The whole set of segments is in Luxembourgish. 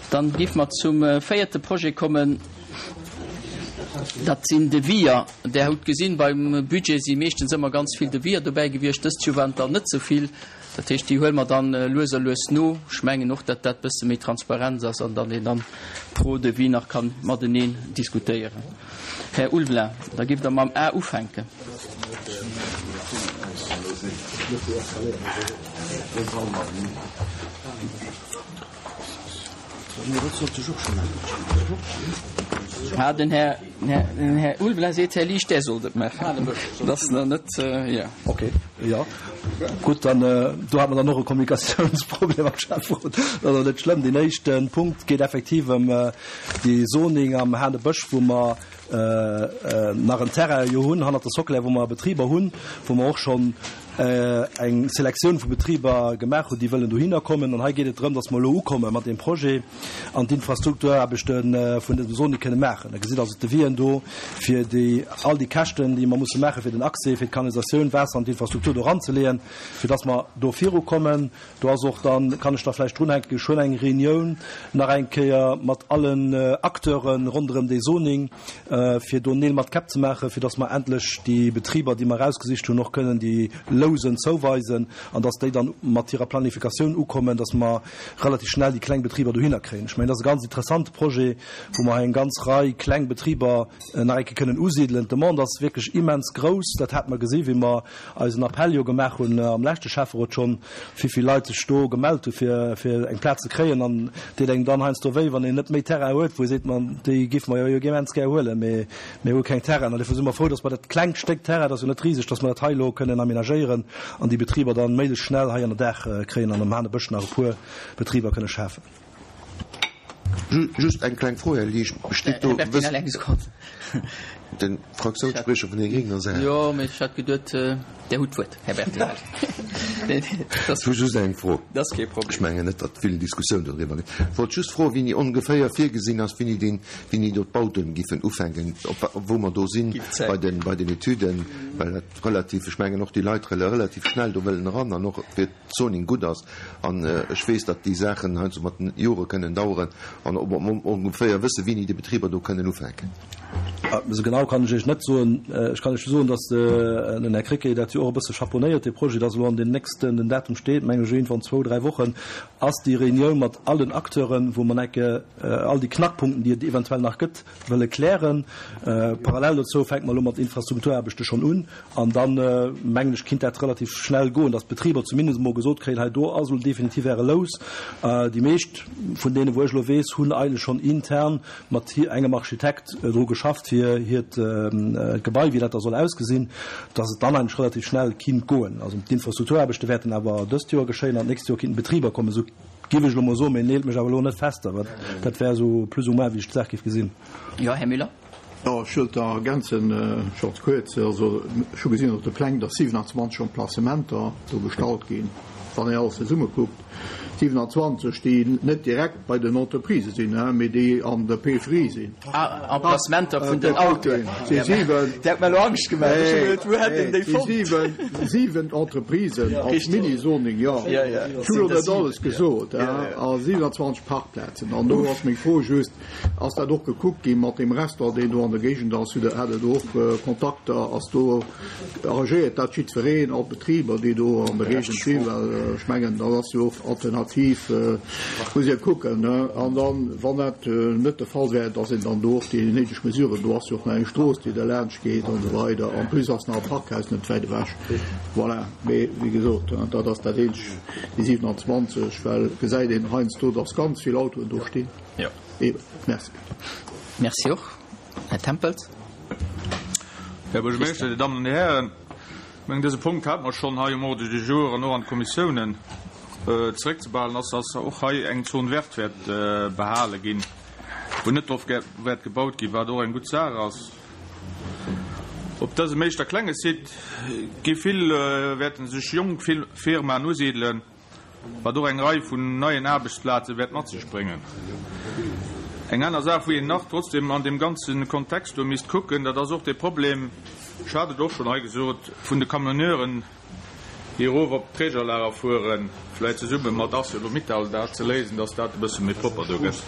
Dann géife mer zum véierte Projet kommen. Dat sinn Deviser. Der hutt gesinn, beim Budget si meeschtens ëmmer ganz vill Deviser dobäi gewiescht. Dëst Joer waren et der net esou vill. Dat heescht, déi huele mer dann lues a lues no. Ech mengen och, datt dat e bësse méi Transparenz ass an datt een dann pro Devis nach ka mateneen diskutéieren. Här Ulveling, da giff Der mam A ufänken. Ah, den Här, den Här Ulveling seet, Här Liesch, Der sollt et maachen. Dat ass nach net, jo. Okay, jo. Gutt, dann do hat mer dann och e Kommunikatiounsproblem am Schäfferot. Dat ass awer net schlëmm. Deen éischte Punkt geet effektiv ëm dee Zoning am Hanebësch, wou mer nach en Terrain jo hunn hannert der Soclär, wou mer Betriber hunn, wou mer och schonn eng Selektioun vu Betriber gemaach hunn, déi wëllen dohinner kommen. An hei geet et drëm, datt mer elo ukomme mat deem Projet an d'Infrastrukturaarbechte vun dësem Zoning kënne maachen. Der gesitt also d'Devisien do fir déi all déi Käschten, déi mer musse maachen, fir den Accès, fir d'Kanalisatioun, Waasser an d'Infrastruktur do eranzeleeën, fir datt mer do virukommen. Do ass och dann, kann ech da vläicht drunhänken, geschwënn eng Reunioun nach eng Kéier mat allen Acteure ronderëm dee Zoning, fir do Neel mat Käpp ze maachen, fir dass mer endlech déi Betriber, déi mer erausgesicht hunn, och kënnen déi Lousen zouweisen an dass déi dann mat hirer Planifikatioun ukommen, dass mer relativ schnell déi kleng Betriber dohinner kréien. Ech mengen, dat ass e ganz interessante Projet, wou mer hei eng ganz Rei kleng Betriber nach eng Kéier kënnen usidelen. D'Demande ass wierklech immens grouss. Dat hate mer gesi wéi mer eisen Appell jo gemaach hunn am leschte Schäfferot schonn, wéi vill Leit sech do gemellt hu fir fir eng Plaz ze kréien. An deet engem dann heiansdo wéi, wann een net méi Terrain huet, wou ee seet, ma déi géife mer jo immens gär huelen, mee mir hu keng Terrainen. An dofir si mer frou, datt mer dat klengt Stéck Terrain, dat ass jo net riseg, datt mer dat hei elo kënnen aménagéieren an déi Betriber dann méiglechst schnell hei ënner Daach kréien an am Hanebësch nach e puer Betriber kënne schafen. Just eng kleng Fro, Här Liesch, Besteet do. Här Bertinelli, eng Sekonn. De Fraktiounsspriecher vun den Gréngen ass Här. Jo, mee ech hat geduet, Dir hutt d'Wuert, Här Bertinelli. Ech hu just eng Fro. Dat ass kee Problem. Ech mengen net, datt vill Diskussioun doriwwer gëtt. Ech wollt just froen, wéini ongeféier virgesinn ass, wéini deen, wéini do d'Bauten giffen ufänken, op wou mer do sinn bei den, bei den Etüden, well dat relativ, ech mengen och déi Leit relativ schnell do wëllen eran an och fir Zoning gutt ass. An ech weess, datt déi Saachen heiansdo mat den Jore kënnen daueren an ob mer ongeféier wësse wéini déi Betriber do kënnen ufänken. Esou genau kann ech Iech net soen. Ech kann Iech soen, datt den Här Krecké dat jo och e bësse chapeaunéiert, dee Projet, datt elo an den nächsten, den Datum steet, mengen ech, iergendwann zwou, dräi Wochen, ass déi Reunioun mat allen Acteuren, wou mer enke all déi Knackpunkten, déi et eventuell nach gëtt, wëlle klären. Parallel dozou fänke mer elo mat Infrastrukturaarbechte schonn un. An dann, mengen ech, kinnt dat relativ schnell goen, dass d'Betriber zumindest emol gesot kréien, hei do ass elo definitiv Äre Lous. Déi meescht vun deenen, wou ech elo weess, hunn eigentlech schonn intern mat engem Architekt dru geschafft, fir hiert Gebai, wéi dat da soll ausgesinn, dass et dann eigentlech relativ schnell kinnt goen. Also d'Infrastrukturaarbechte wäerten awer dëst Joer geschéien an d'nächst Joer kinnten d'Betriber kommen, esou géif ech elo emol soen, mee neelt mech awer elo net fest, awer dat wär esou plus ou moins, wéi ech d'Saach géif gesinn. Jo, Här Müller. Jo, ech wëllt da ergänzen, ganz kuerz. Also ech hu gesinn op de Pläng, datt 27 Emplacementer do gestallt ginn, wann een alles zesumme kuckt. 27, déi net direkt bei den Entreprisë sinn, mee déi an der Périphérie sinn. Ah, Emplacementer vun den Autoen. Si siwen. Dir hat mer elo Angscht gemaach. Ech hu geduet, wou hätt een déi fonnt? Si siwen, siwen Entreprisen als Mini-Zoning, jo. Ech hu elo net alles gesot, a 27 Parkplazen. An do ass meng Fro just, Ass dat och gekuckt gi mat deem Restaurant, deen do an der Géigend ass? Hutt Der, hat Der do och Kontakter? Ass do, arrangéiert dat jiddwereen, all d'Betriber, déi do an der Géigend sinn? Well ech mengen, dat ass jo och alternativ, muss ee kucken, ne? An dann, wann dat net de Fall wär, dass een dann do och déi néideg Mesuren, do ass jo och nach eng Strooss, déi derlaanscht geet an esou weider. En plus ass nach e Parkhaus net wäit ewech. Voilà. Mee wéi gesot, dat ass dat eenzeg, déi 27, well gesäit een heiansdo, dass ganz vill Autoen do stinn. Jo. Eben. Merci. Merci och. Här Tempels. Här Buergermeeschter, Dir Dammen an Dir Hären, ech mengen, dëse Punkt hate mer schonn hei um Ordre du jour an och an d'Kommissiounen zeréckzebehalen ass, dass och hei eng Zone verte wäert behale ginn, wou net drop wäert gebaut ginn, wat och eng gutt Saach ass. Op dësem éischter klenge Site gi vill, wäerte sech jonk Firmaen usidelen. wat och eng Rei vun neien Aarbechtsplaze wäert mat sech bréngen. Eng aner Saach, wou een nach trotzdem an deem ganze Kontext do misst kucken, dat ass och dee Problem, ech hat et och schonn hei gesot, vun de Camionneuren. Déi erof op d'Trägerlager fueren, vläit zesumme mat Arcelor-Mittal dat ze léisen, dass dat e bësse méi propper do gëtt.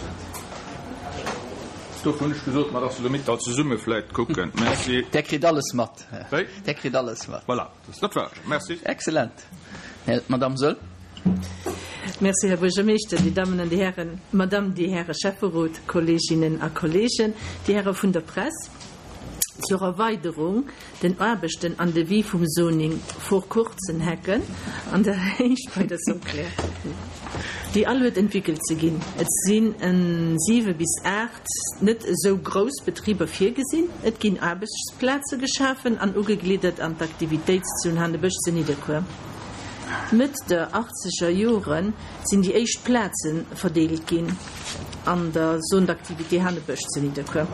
Dofir hunn ech gesot, mat Arcelor-Mittal zesumme vläit kucken. Merci. Där kritt alles mat. Wéi? Där kritt alles mat. Voilà, dat war et. Merci. Excellent. Madamm Soll. Merci, Här Buergermeeschter, Dir Dammen an Dir Hären, Madamm, Dir Häre Schäfferot, Kolleeginnen a Kolleegen, Dir Häre vun der Press. Zur Erweiderung den Aarbechten an Devis vum Zoning vor kurzen Hecken an der Héicht bei der Soclair, déi all huet entwickelt ze ginn. Et sinn en 7 bis 8 net esou grouss Betriber virgesinn. Et ginn Aarbechtsplaze geschafen an ugegliddert an d'Aktivitéitszon Hanebësch zu Nidderkuer. Mëtt der achtzeger Jore sinn déi éischt Plaze verdeelt ginn an der Zone d'activité Hanebësch zu Nidderkuer.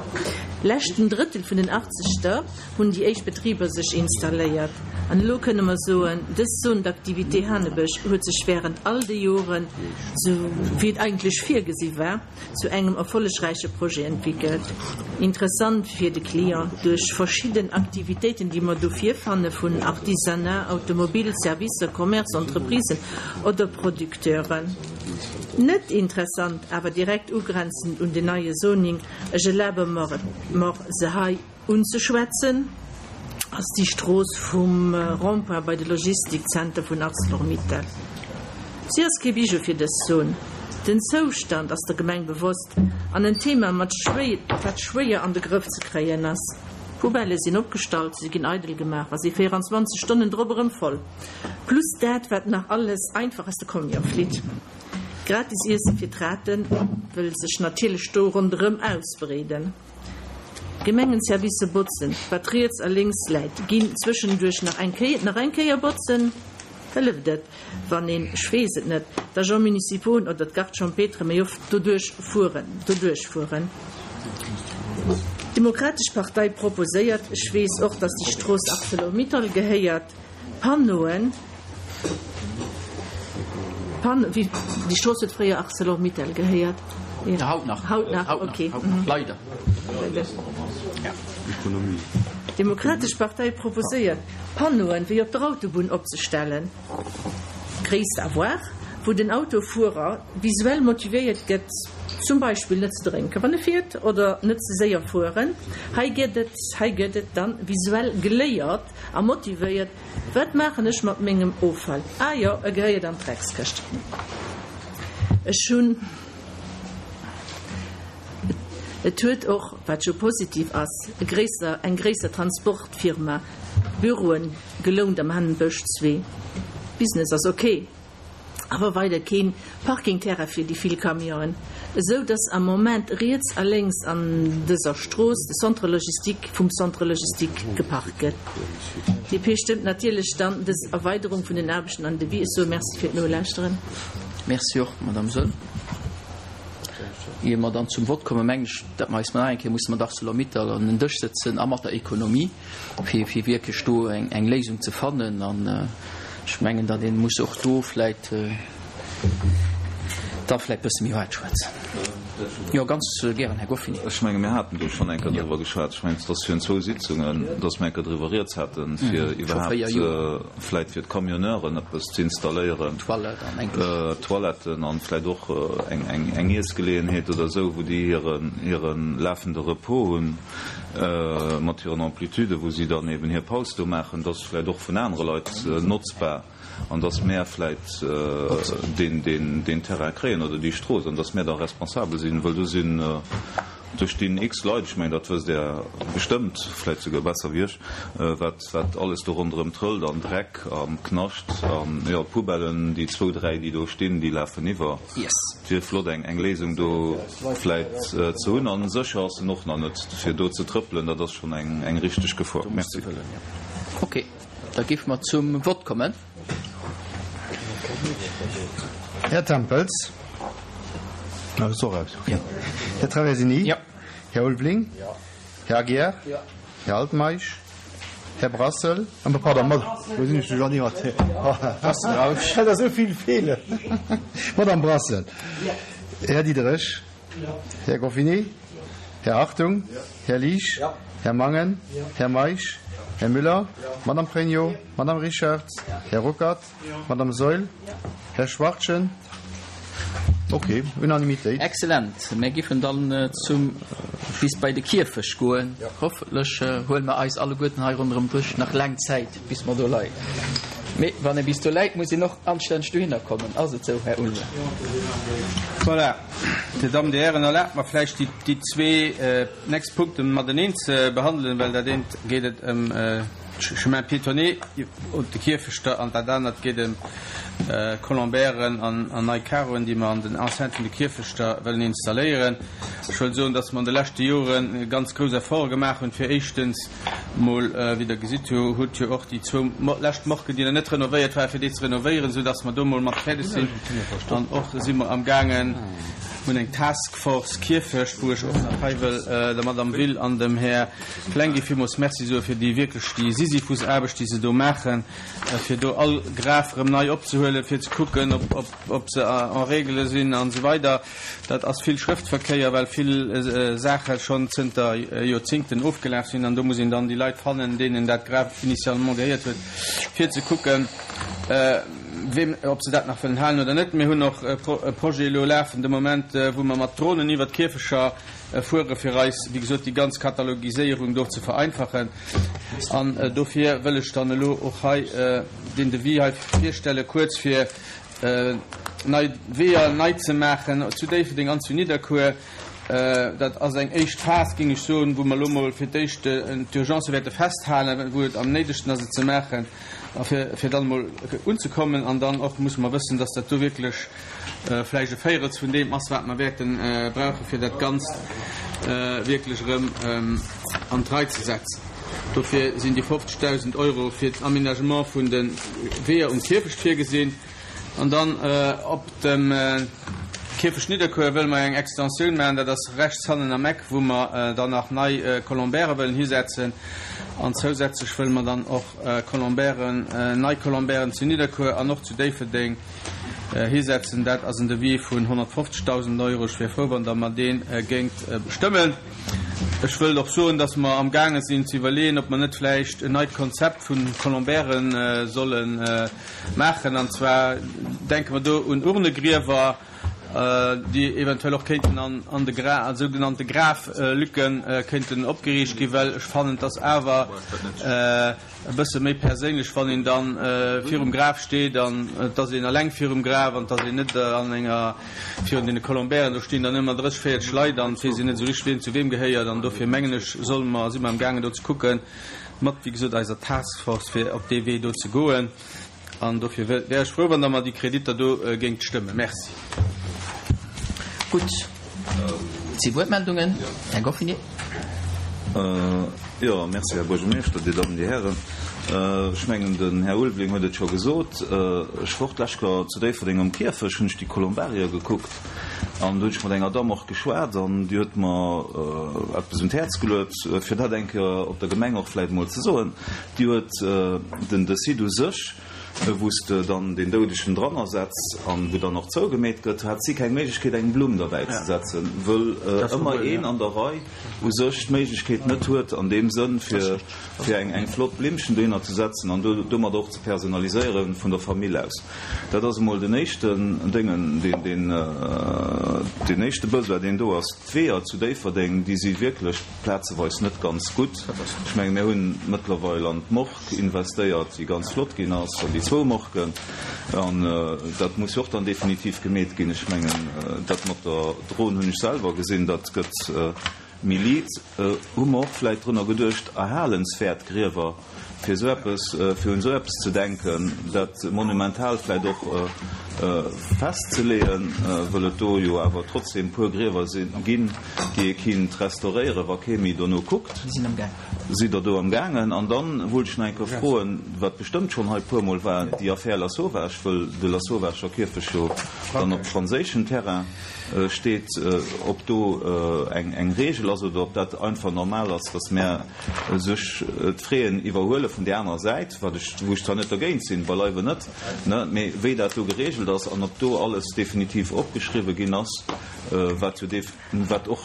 Leschten Drëttel vun den Achtzeger hunn déi éischt Betriber sech installéiert. An elo kënne mer soen, dës Zone d'activité Hanebësch huet sech wärend all de Joren, sou wéi et eigentlech virgesi war, zu engem erfollegräiche Projet entwickelt. Interessant fir de Client duerch verschidden Aktivitéiten, déi mer do virfanne vun Artisanat, Automobil, Servicer, Commerce, Entreprisen oder Producteuren. Net interessant, awer direkt ugrenzend un den neie Zoning, ech erlabe mer et mer se hei Unzeschwätzen ass déi Strooss vum Rond-point bei de Logistikzenter vun Arcelor-Mittal. Si ass kee Bijou fir dës Zon. Den Zoustand ass der Gemeng bewosst an en Thema mat wat schwéier an de Grëff ze kréien ass. Poubellë sinn opgestallt, se ginn eidel gemaach a si 24 Stonnen drop erëm voll. Plus dat wat nach alles einfach aus de Camion flitt. Gratis Iesse fir d'Rate wëll sech natierlech do ronderëm ausbreeden. D'Gemengenservicer botzen, wat riets a lénks läit, ginn zwëschenduerch nach eng Kéier nach eng Kéier botzen. Hëlleft et, wann een, ech weess et net, d'Agents municipauxen oder d'Gardes champêtres méi oft doduerch fueren, doduerch fueren? D'Demokratesch Partei proposéiert, ech weess och, dass déi Strooss Arcelor-Mittal gehéiert, Panneauen, Pan, wéi, déi Strooss huet fréier Arcelor-Mittal gehéiert. Ja. Haut nach. Haut nach, Haut nach, okay. haut nach. Leider. Ja. D'Demokratesch Partei proposéiert, Panneauen wéi op der Autobunn opzestellen, Gréisst à voir, wou den Autofuerer visuell motivéiert gëtt, zum Beispill net ze drénken, wann e fiert, oder net ze séier fueren. Hei gëtt et, hei gëtt et dann visuell geléiert, A motivéiert, Wat maachen ech mat mengem Offall? Ah jo, e gehéiert an d'Dreckskëscht. Ech hunn. Et huet och, wat jo positiv ass, e gréisser, eng gréisser Transportfirma Büroen gelount am Hannenbësch 2. Business ass ok. Awer weider keen Parkingterrain fir déi vill Camionen, esou dass am Moment riets a lénks an dëser Strooss de Centre logistique vum Centre logistique geparkt gëtt. DP stëmmt natierlech dann dës Erweiderung vun den Aarbechten an Devis. Ech soe Merci fir d'Nolauschteren. Merci och, Madame Soll. Ier mer dann zum Vott kommen, mengen ech, dat mer eis nach eng Kéier musse mat Arcelor-Mittal an en Dësch sëtzen a mat der Economie, fir fir wierklech do eng eng Léisung ze fannen. An ech mengen, datt ee muss och do vläit da vläit bësse méi haart schwätzen. Jo, ganz gären, Här Goffini. Ech menge mir haten do schonn eng Kéier driwwer geschwat. Ech mengen, et ass virun zwou Sitzungen, datt mir eng Kéier driwwer rieds haten, fir iwwerhaapt vläit fir d'Camionneuren eppes ze installéieren, Toiletten an vläit och eng eng Iessgeleeënheet oder esou, wou déi hiren hire lafende Repos hunn. mat hiren Amplituden, wou si dann eben hir Paus do maachen, dat ass vläicht och vun anere Leit notzbar an dass mär vläicht deen Terrain kréien oder déi Strooss an dass mär da responsabel sinn, wëll do sinn, do stinn x Leit, ech mengen, dat wësst Der bestëmmt, vläicht souguer besser wéi ech, wat wat alles do ronderëm trëllt an Dreck a Knascht an, jo, d'Poubellen, déi zwou, dräi, déi do stinn, déi lafen iwwer. Et wier flott eng eng Léisung do vläit ze hunn. An sécher ass en och nach net. Fir do ze trëppelen, dat ass schonn eng eng richteg Gefor. Merci. Ok, da géife mer zum Vott kommen. Här Tempels? Ah, ass och aus, ok. Här Traversini? Jo. Här Ulveling? Här Aguiar? Här Altmeisch? Här Brassel, pardon, Mad, wou sinn ech duercherneen mat Här, dat ass esou vill Feeler. Madame Brassel, Här Diderich, Här Goffinet, Här Hartung, Här Liesch, Här. Här Mangen, Här Meisch, Här Müller, Madame Pregno, Madame Richard, Här Ruckert, Madame Saeul, Här Schwachtgen. Ok, Unanimitéit. Excellent. Mär giffen dann zum bis bei de Kierfecht goen. Hoffentlech huele mer eis alleguerten hei ronderëm Dësch nach laang Zäit, bis mer do leien. Mee wann ee bis do läit, muss een och anstänneg dohinner kommen. Ass et esou, Här Ulmer? Voilà, Dir Dammen, Dir Hären, erlaabt mer vläicht déi zwee nächst Punkte mateneen ze behandelen, well dat eent geet et ëm Chemin piétonnier op de Kierfechter an dat anert geet ëm Colombairen an nei Carroen, déi mer an den Enceinte vun de Kierfechter wëllen installéieren. Ech wëll soen, dass mer an de leschte Jore ganz grouss Efforte gemaach hunn, fir éischtens mol, wéi Der gesitt hutt, jo och déi zwou lescht Morguen, déi nach net renovéiert waren, fir déi ze renovéieren, soudass mer do mol mat fäerdeg sinn. An och si mer amgaangen, hunn eng Task Force Kierfecht, wou ech och nach hei wëll der Madame Will an dem Här Plengé villmools Merci soe fir déi wierklech déi Sisyphusaarbecht, déi se do maachen, fir do all Graf erëm nei opzehuelen, fir ze kucken, ob, ob, ob se en règle sinn an esou weider. Dat ass vill Schrëftverkéier, well vill Saache schonn zënter Joerzingten ofgelaf sinn an do muss een dann déi Leit fannen, deenen dat Graf initialement gehéiert huet, fir ze kucken, weem, ob se dat nach wëllen halen oder net. Mir hunn och e Projet elo lafen de Moment, wou mer mat Dronen iwwert d'Kierfecher Fuere fir eis, wéi gesot, déi ganz Katalogiséierung do ze vereinfachen. An dofir wëll ech dann elo och hei deen Devis hei virstellen, kuerz, fir nei Weeër nei ze maachen zu Déifferdeng an zu Nidderkuer. Dat ass eng éischt Phas, géing ech soen, wou mer elo mol fir d'éischt d'Urgence wäerte festhalen, wou et am néidegsten ass, et ze maachen, a fir dann emol unzekommen. An dann och musse mer wëssen, dass dat do wierklech vläicht e Véirels vun deem ass, wat mer wäerte brauchen, fir dat Ganzt wierklech erëm an d'Rei ze setzen. Dofir sinn déi 50.000 Euro fir den Aménagement vun de Weeër um Kierfecht virgesinn. An dann op dem Kierfecht Nidderkuer wëlle mer eng Extensioun maachen, dat ass rechts hannen am Eck, wou mer dann nach nei Colombairen wëllen hisetzen. An zousätzlech wëlle mer dann och Colombairen, nei Colombairen zu Nidderkuer an och zu Déifferdeng Hisetzen. Dat ass en Devis vun 150.000 Euro. Ech wier frou, wann Der mer dee géingt stëmmen. Ech wëllt och soen, dass mer amgaange sinn ze iwwerleeën, ob mer net vläicht en neit Konzept vu Colombairen solle maachen. An zwar denke mer do un Urnegriewer, déi eventuell och kéinten an de Gra-, sougenannte Graflücken kéinten opgeriicht ginn, well ech fannen, dass awer, E bësse méi perséinlech, wann een dann virum Graf steet an et ass een eleng virum Graf an et ass een net an enger, virun deene Colombairen, do stinn dann ëmmer 30, 40 Leit an et weess een net esou richteg, wien zu weem gehéiert. An dofir mengen ech, solle mer, si mer amgaangen do ze kucken, mat, wéi gesot, eiser Task Force, fir op dee Wee do ze goen. An dofir wär ech frou, wann Der mer déi Kreditter do géingt stëmmen. Merci. Gutt, et si Wuertmeldungen. Här Goffinet. Jo, merci, Här Buergermeeschter, Dir Dammen, Dir Hären. Ech mengen, den Här Ulveling huet et scho gesot. Ech wor d'lescht Joer zu Déifferdeng um Kierfecht, hunn ech déi Kolumbarier gekuckt an do hunn ech mat enger Damm och geschwat an déi huet mer eppes un d'Häerz geluet, fir dat eng Kéier op der Gemeng och vläicht emol ze soen. Déi huet den de Site u sech, wou s de dann deen Doudegen dran ersetz an wou dann och zougemeet gëtt, hat si keng Méiglechkeet eng Blumm derbäi ze setzen, wëll ëmmer een an der Rei u sech d'Méiglechkeet net huet an deem Sënn fir fir eng eng flott Blimmchen dohinner ze setzen an do domat och ze personaliséieren vun der Famill aus. Dat ass emol den éischten Déngen, deen deen deen éischte Besoin deen do ass. D'Weeër zu Déifferdeng, déi si wierklech plazeweis net ganz gutt. Ech menge mir hunn mëttlerweil an d'Morgue investéiert, déi ganz flott ginn ass, an déi zwou Morguen. An dat muss jo och dann definitiv gemeet ginn. Ech mengen, dat mat der Dron hunn ech selwer gesinn, dat gëtt méi liit. Hu mer och vläicht drunner geduecht, erhalenswäert Griewer Fir esou eppes, fir un esou eppes ze denken, dat monumental vläicht och festzeleeën, wëll et do jo awer trotzdem e puer Griewer ginn, déi ee kinnt restauréieren, wa kee méi dono kuckt. Sidd Der do am gaangen? An dann wollt ech nach eng Kéier froen, wat bestëmmt schonn hei e puermol war, déi Affär Lasauvage, wëll de Lasauvager Kierfecht jo dann op franséischem Terrain steet, ob do eng Regel ass oder ob dat einfach normal ass, dass mär sech d'Fraien iwwerhuele vun där anerer Säit, wat ech, wou ech zwar net dergéint sinn, beileiwe net, ne, mee wéi dat do geregelt. entwéckelt ass an ob do alles definitiv opgeschriwwen ginn ass, wat jo wat och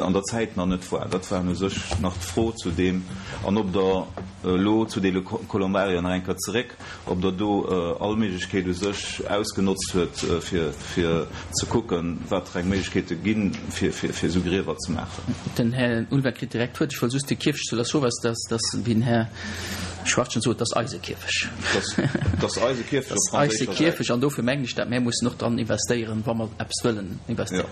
an der Zäit nach net war. Dat war u sech nach d'Fro zu deem. An ob Der elo zu deene Colombarien nach eng Kéier zeréck, ob Der do all Méiglechkeet u sech ausgenotzt huet, fir fir ze kucken, wat fir eng Méiglechkeete ginn, fir fir esou Griewer ze maachen. Den Här Ulver kritt direkt d'Wuert. Ech wollt just de Kierfecht zu Lasauvage, dass, dass, wéi den Här Schwachtgen sot, dat ass eise Kierfecht. Dat ass eise Kierfecht op franséischer Säit. Eise Kierfecht, an dofir mengen ech, dat mär mussen och dran investéieren, wa mer eppes wëllen investéieren.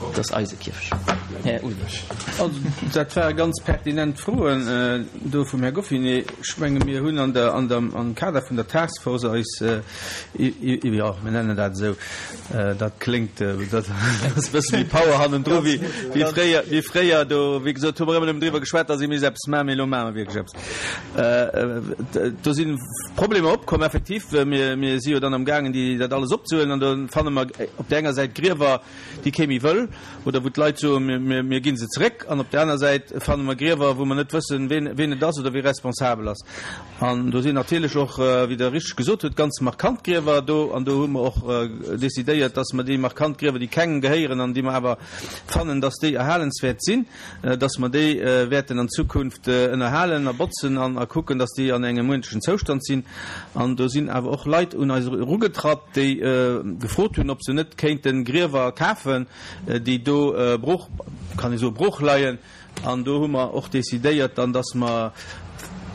Dat ass eise Kierfecht. Här Ulrich. Also, dat ware ganz pertinent Froen do vum Här Goffinet. Ech menge mir hunn an der, an der, am Kader vun der Task Force eis, jo, mir nennen dat esou, dat kléngt, dat ass e bësse méi Power hannendru wéi, wéi fréier, wéi fréier do, wéi gesot, hu mer ëmmer nëmmen driwwer geschwat, datt ee misst eppes maachen, mee elo maache mer wierklech eppes. Do si Problemer opkomm, effektiv. Mir, mir si jo dann amgaangen, déi, dat alles opzehuelen an do fanne mer op där enger Säit Griewer, déi kee méi wëll oder wou d'Leit soen, mir, mir gi se zeréck. An op där aner Säit fanne mer Griewer, wou mer net wëssen, ween, ween et ass oder wie responsabel ass. An do sinn natierlech och, wéi Der richteg gesot hutt, ganz markant Griewer do. An do hu mer och decidéiert, dass mer déi markant Griewer, déi kengem gehéieren an déi mer awer fannen, dass déi erhalenswäert sinn, dass mer déi wäerten an Zukunft ënnerhalen a botzen an a kucken, dass déi an engem uerdentlechen Zoustand sinn. An do sinn awer och Leit un eis erugetratt, déi gefrot hunn, ob se net kéinte Griewer kafen, déi do brooch, kann ee soen, brooch leien. An do hu mer och decidéiert dann, dass mer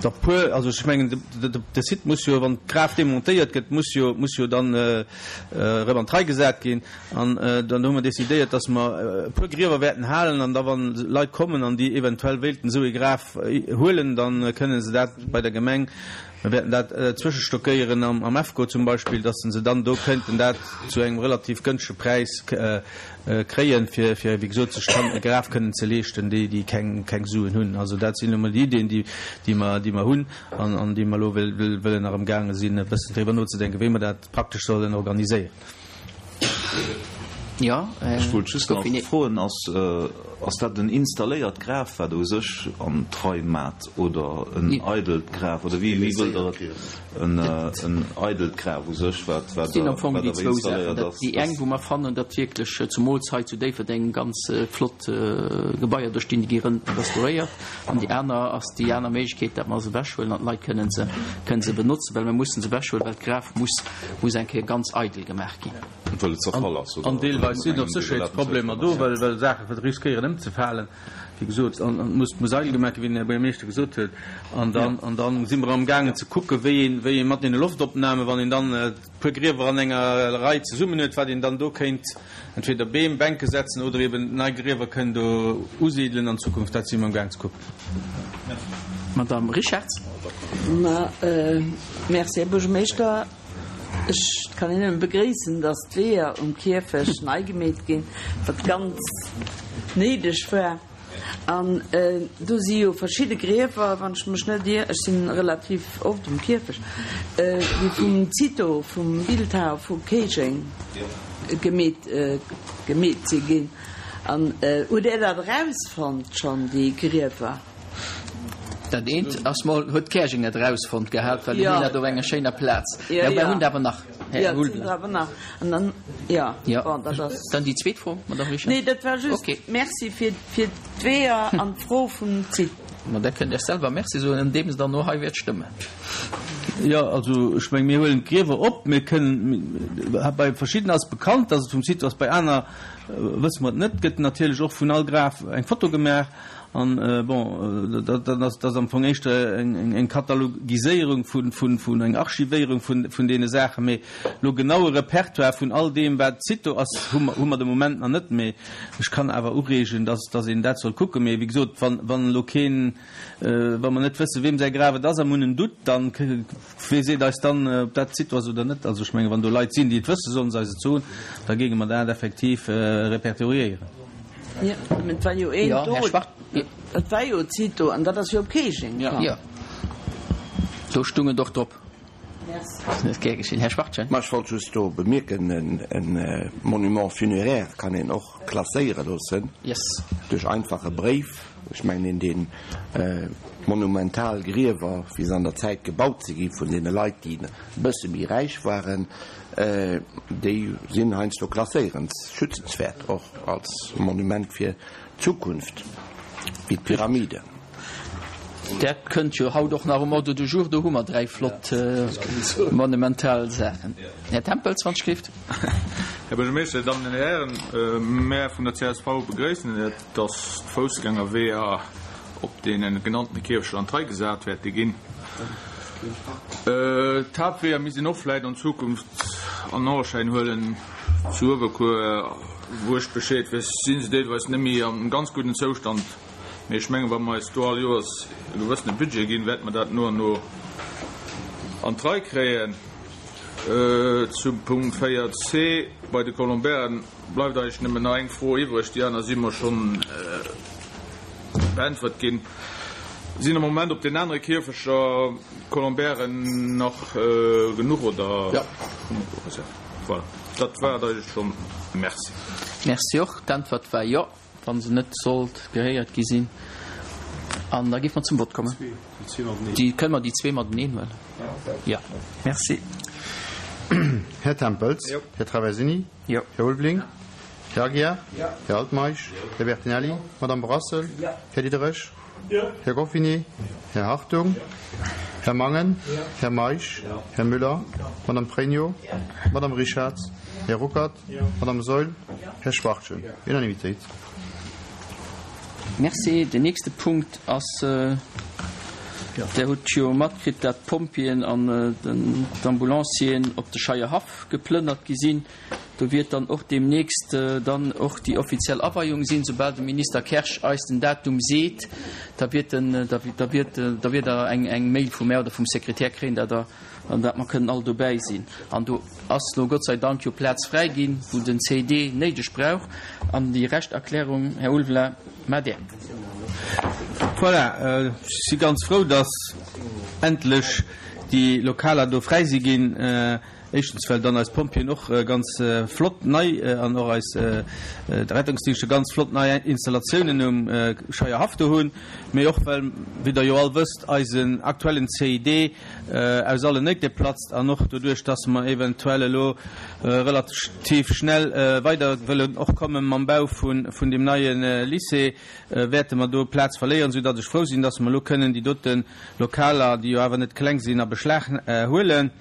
der puer, also ech mengen, de Site muss jo, wann d'Graf demontéiert gëtt, muss jo, muss jo dann erëm an d'Rei gesat ginn. An dann hu mer decidéiert, dass mer e puer Griewer wäerten halen an da wann Leit kommen an déi eventuell wéilten esou ee Graf huelen, da kënnen se dat bei der Gemeng, mer wäerten dat zwëschestockéieren am EFCO zum Beispill, dass se dann do kënnten dat zu engem relativ gënschtege Präis kréien, fir, fir wéi gesot sech dann e Graf kënnen ze leeschten, déi, déi keng, keng Suen hunn. Also dat sinn elo mol déi Ideen, déi, déi mer, déi mer hunn an, an déi mer elo wëllen nach amgaange sinn e bëssen driwwer nozedenken, wéi mer dat praktesch sollen organiséieren. Jo, Ech wollt just nach froen, ass ass dat en installéiert Graf, wat u sech an d'Rei mat, oder en eidelt Graf, oder wéi wéi wëllt Der et? En en eidelt Graf u sech, wat wat sinn am Fong déi zwou Saachen. Dat déi eng, wou mer fannen, datt wierklech zumools hei zu Déifferdeng ganz flott Gebaier do stinn, déi gi restauréiert. An déi aner ass déi aner Méiglechkeet, datt mer se ewechhuelen an d'Leit kënnen se kënnen se benotzen, well mer mussen se ewechhuelen, well d'Graf muss muss eng Kéier ganz eidel gemaach ginn. Well et zerfall ass, oder? An deelweis sinn och Sécherheetsproblemer do, well well Saache riskéieren ëmzefalen, wéi gesot, an et muss muss eidel gemaach ginn, wéi den Här Buergermeeschter gesot huet. An dann an dann si mer amgaangen ze kucken, wéi een wéi ee mat deene Loftopnamen, wann een dann e puer Griewer an enger Rei zesummen huet, wat een dann do kéint entweder Beem, Bänke setzen oder eben nei Griewer kënnen do usidelen an Zukunft. Dat si mer amgaang ze kucken. Madame Richarz. Ma Merci, Här Buergermeeschter. Ech kann een nëmme begréissen, dass d'Weeër um Kierfecht nei gemeet ginn, wat ganz néideg war. An do si jo verschidde Griewer, wann ech mech net ier, ech si relativ oft um Kierfecht, déi vum Cito, vum Bildhauer vu Kéijeng gemeet gemeet si ginn. An hutt Där dat erausfonnt schonn, déi Griewer? Dat eent ass mol, huet Käerjeng net erausfonnt gehat, well déi hunn dat op enger schéiner Plaz. Jo, mer hunn der awer nach, Här Ulveling. An dann, jo, bon, dat ass. Dann déi zweet Fro, Madamm Richard. Nee, dat war just Merci fir d'Weeër an d'Fro vum Site. Ma da kënnt Iech selwer Merci soen, andeems Der no hei wäert stëmmen. Jo, also ech meng, mir huelen d'Griewer op. Mir kënnen, bei verschiddenen ass bekannt, dass et vum Site ass, bei aner wësse mer et net. Et gëtt natierlech och vun all Graf eng Foto gemaach. An, bon, dat ass, dat ass am Fong éischter eng Katalogiséierung vun, vun, vun, eng Archivéierung vun, vun deene Saachen. Mee elo genau e Repertoire vun all deem, wat Cito ass, hu mer, hu mer de Moment nach net. Mee ech kann awer ureegen, dass, dass een dat soll kucken. Mee wéi gesot, wann, wann elo keen, wa mer net wëssen, weem säi Graf et ass a mer hunn en Doute, dann wee seet eis dann, ob dat Cito ass oder net? Also ech mengen, wann do Leit sinn, déi et wëssen, sollen se eis et soen, da géinge mer dat effektiv repertoriéieren. Jo, mä et war jo een do, Här Schwarz. Et war jo Cito, an dat ass jo op Keejeng komm. Jo, do stung et och drop. Merci. Gär geschehen. Här Schwachtgen. Ma ech wollt just do bemierken, e Monument funéraire kann een och klasséiere loossen duerch einfach e Bréif. Ech mengen, een deen monumental Griewer, wéi se an der Zäit gebaut si gi vun deene Leit, déi e bësse méi räich waren, déi sinn heiansdo klasséierens, schützenswäert, och als Monument fir d'Zukunft, wéi d'Pyramiden. Dat kënnt jo haut och nach um Ordre du jour. Do hu mer 3 flott monumental Saachen. Här Tempels, wann ech gleeft. Här Buergermeeschter, Dir Dammen an Dir Hären, mär vun der csv begréissen et, dass d'Foussgängerweeër op deene genannte Kierfechter an d'Rei gesat wäerte ginn. D'Haaptweeër misst een och vläit an Zukunft an Auerschäin huelen. Zu Uewerkuer, wou ech Bescheed weess, si se deelweis net méi am ganz gudden Zoustand. Mee ech mengen, wa mer eis do all Joers e gewëssene Budget ginn, wäerte mer dat no an no an d'Rei kréien. Zum Punkt 4 c bei de Colombairen bleift eigentlech nëmmen nach eng Fro iwwreg, déi aner si mer schonn beäntwert ginn. Sinn am Moment op den anere Kierfechter Colombairen nach genuch oder? Jo. Voilà, dat war et eigentlech schonn. Merci. Merci och. D'Äntwert war jo. Wa se net sollt gehéiert gi sinn. An da géife mer zum Vott kommen. Déi kënne mer déi zwee mateneen huelen? Jo. Merci. Här Tempels. Här Traversini. Här Ulveling. Här Aguiar. Här Altmeisch. Här Bertinelli. Madame Brassel. Här Diderich. Här Goffinet. Här Hartung. Här Mangen. Här Meisch. Här Müller. Madame Pregno. Madame Richarz. Här Ruckert. Madame Saeul. Här Schwachtgen. Unanimitéit. Merci. Den nächste Punkt ass, Der hutt jo matkritt, dat d'Pompjeeën an d'Ambulancieren op de Scheierhaff geplënnert gi sinn. Do wiert dann och deemnächst dann och déi offiziell Aweiung sinn. Soubal de Minister Kersch eis den Datum seet, da wiert en, da wiert, da wiert Der eng, eng Mail vu mär oder vum Sekretär kréien, dat Der, an dat mer kënnen all dobäi sinn. An do ass lo Gott sei Dank jo Plaz fräi ginn, wou den CID néideg brauch. An déi Rescht Erklärung, Här Ulveling, maacht Där. Voilà, ech si ganz frou, dass endlech déi Lokaler do fräi si ginn. Éischtens, well dann eis Pompjeeën och ganz flott nei an och eis Rettungsdingschter ganz flott nei Installatiounen um Scheierhaff do hunn, mee och well, wéi Der jo all wësst, eisen aktuellen CID aus allen Néite platzt an och doduerch, dass mer eventuell elo relativ schnell weider wëllen och komme mam Bau vun deem neie Lycée, wäerte mer do Plaz verléieren, soudatt ech frou sinn, dass mer elo kënnen déi dote Lokaler, déi jo awer net kleng sinn, a Beschlag huelen.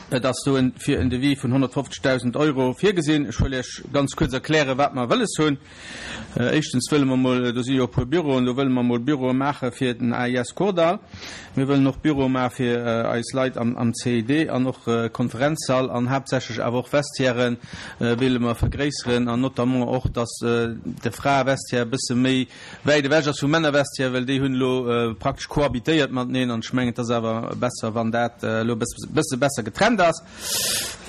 Et ass do fir en Devis vun 150.000 Euro virgesinn. Ech wëll Iech ganz kuerz erklären, wat mer wëlles hunn. Éischtens wëlle mer mol, do si jo e puer Büroen, do wëlle mer mol Büroe maache fir den AIS Kordall. Mir wëllen och Büroe maache fir eis Leit am CID an och Konferenzsall an haaptsächlech awer och Vestiairen wélle mer vergréisseren an notamment och, dass de Fraevestiaire e bësse méi wäit ewech ass vum Männervestiaire, well déi hunn elo praktesch cohabitéiert mateneen an ech mengen, et ass awer besser, wann dat elo e bësse besser getrennt ass.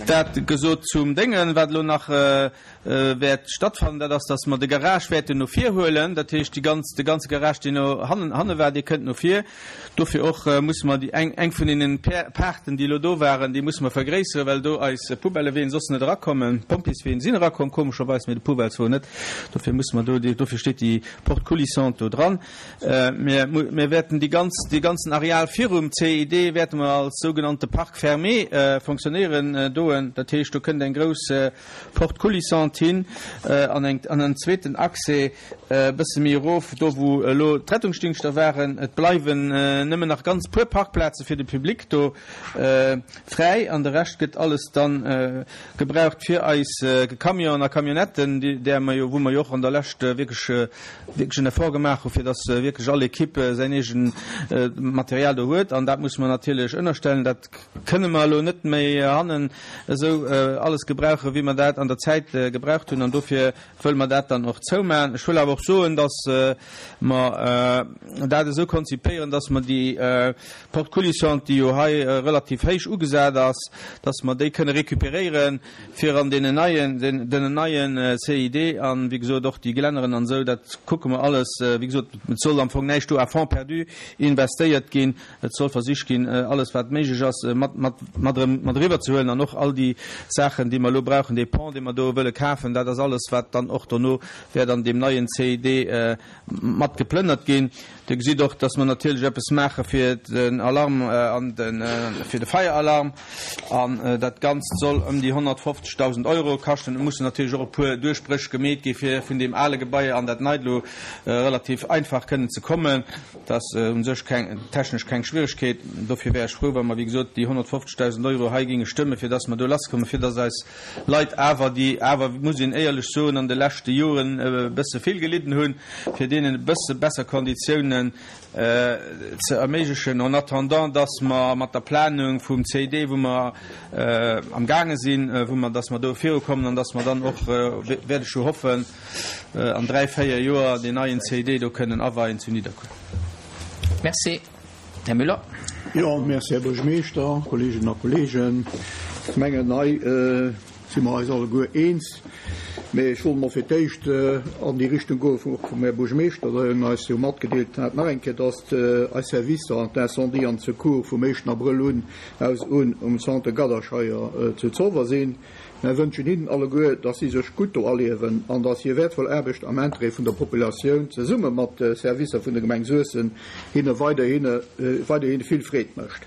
Dat gesot zum Déngen. Wat elo nach wäert stattfannen, dat ass, dass mer de Garage wäerten no vir huelen. Dat heescht, déi ganz, de ganze Garage, deen no hannen, hanne war, dee kënnt no vir. Dofir och musse mer déi eng, eng vun deenen Paarten, déi elo do waren, déi musse mer vergréisseren, well do eis Poubelleween soss net erakommen. D'Pompjeesween sinn erakomm, komescherweis, mee de Poubellswon net. Dofir musse mer do, dofir steet déi Porte coulissante do dran. Mir, mir wäerten déi ganz, dee ganzen Areal virum CID wäerte mer als sougenannte Parc fermé fonctionnéieren doen. Dat heescht, do kënnt eng grouss Porte coulissante hin an eng, an en zweeten Accès e bësse méi erof, do wou elo d'Rettungsdingschter waren. Et bleiwen nëmmen nach ganz puer Parkplaze fir de Public do fräi an de Rescht gëtt alles dann gebraucht fir eis Camionen a Camionnetten, där mer jo, wou mer jo och an der Lescht wierklech, wierklech en Effort gemaach hu fir dass wierklech all Equipe säin eegen Material do huet an dat musse mer natierlech ënnerstellen. Dat kënne mer elo net méi hannen esou alles gebrauchen, wéi mer dat an der Zäit gebraucht hunn an dofir wëlle mer dat dann och zoumaachen. maachen. Ech wëll awer och soen, dass mer dat esou konzipéieren, dass mer déi Porte coulissante, déi jo hei relativ héich ugesat ass, dass mer déi kënne récupéréieren, fir an deenen neien, den neien CID an, wéi gesot, och déi Gelänneren an esou, dat kucke mer alles. Wéi gesot, et soll am Fong näischt do à fonds perdu investéiert ginn. Et soll versicht ginn, alles wat méiglech ass, mat, mat, mat erëm mat eriwwer ze huelen an och all déi Saachen, déi mer elo brauchen, dee Pont, dee mer do wëlle kafen, dat ass alles, wat dann och dono wäert an deem neien CID mat geplënnert ginn. Dir gesitt och, dass mer natierlech eppes maache fir den Alarm an de, fir de Feieralarm. An dat Ganzt soll ëm déi 150.000 Euro kaschten. Et mussen natierlech och e puer Duerchbréch gemeet gi fir vun deem ale Gebai an dat neit elo relativ einfach kënnen ze kommen. Dat ass u sech keng, technesch keng Schwieregkeet. Dofir wär ech frou, wa mer, wéi gesot, déi 150.000 Euro hei géinge stëmmen, fir dass mer do lasskommen, fir dass eis Leit awer, déi awer, muss een éierlech soen, an de leschte Joren e bësse vill gelidden hunn, fir deenen e bësse besser Konditiounen ze erméiglechen, en attendant dass mer mat der Planung vum CID, wou mer amgaange sinn, wou mer, dass mer do virukommen an dass mer dann och, wäert ech jo hoffen, an 3, 4 Joer deen neien CID do kënnen aweien zu Nidderkuer. Merci. Här Müller. Jo, merci, Här Buergermeeschter, Kolleeginnen a Kolleegen. Ech mengen, hei si mer eis alleguer eens. Mee ech wollt emol fir d'éischt an déi Richtung goe vum och vum Här Buergermeeschter, deen eis jo matgedeelt hat nach eng Kéier, dass eis Servicer an d'Incendie an d'Secours vum éischten Abrëll un aus un um Centre Gadderscheier zu Zolwer sinn. Mär wënschen hinnen alleguer, dass si sech gutt do aliewen an dass hir wäertvoll Aarbecht am Interêt vun der Populatioun zesumme mat de Servicer vun der Gemeng Suessem hinne weiderhi vill Freed mécht.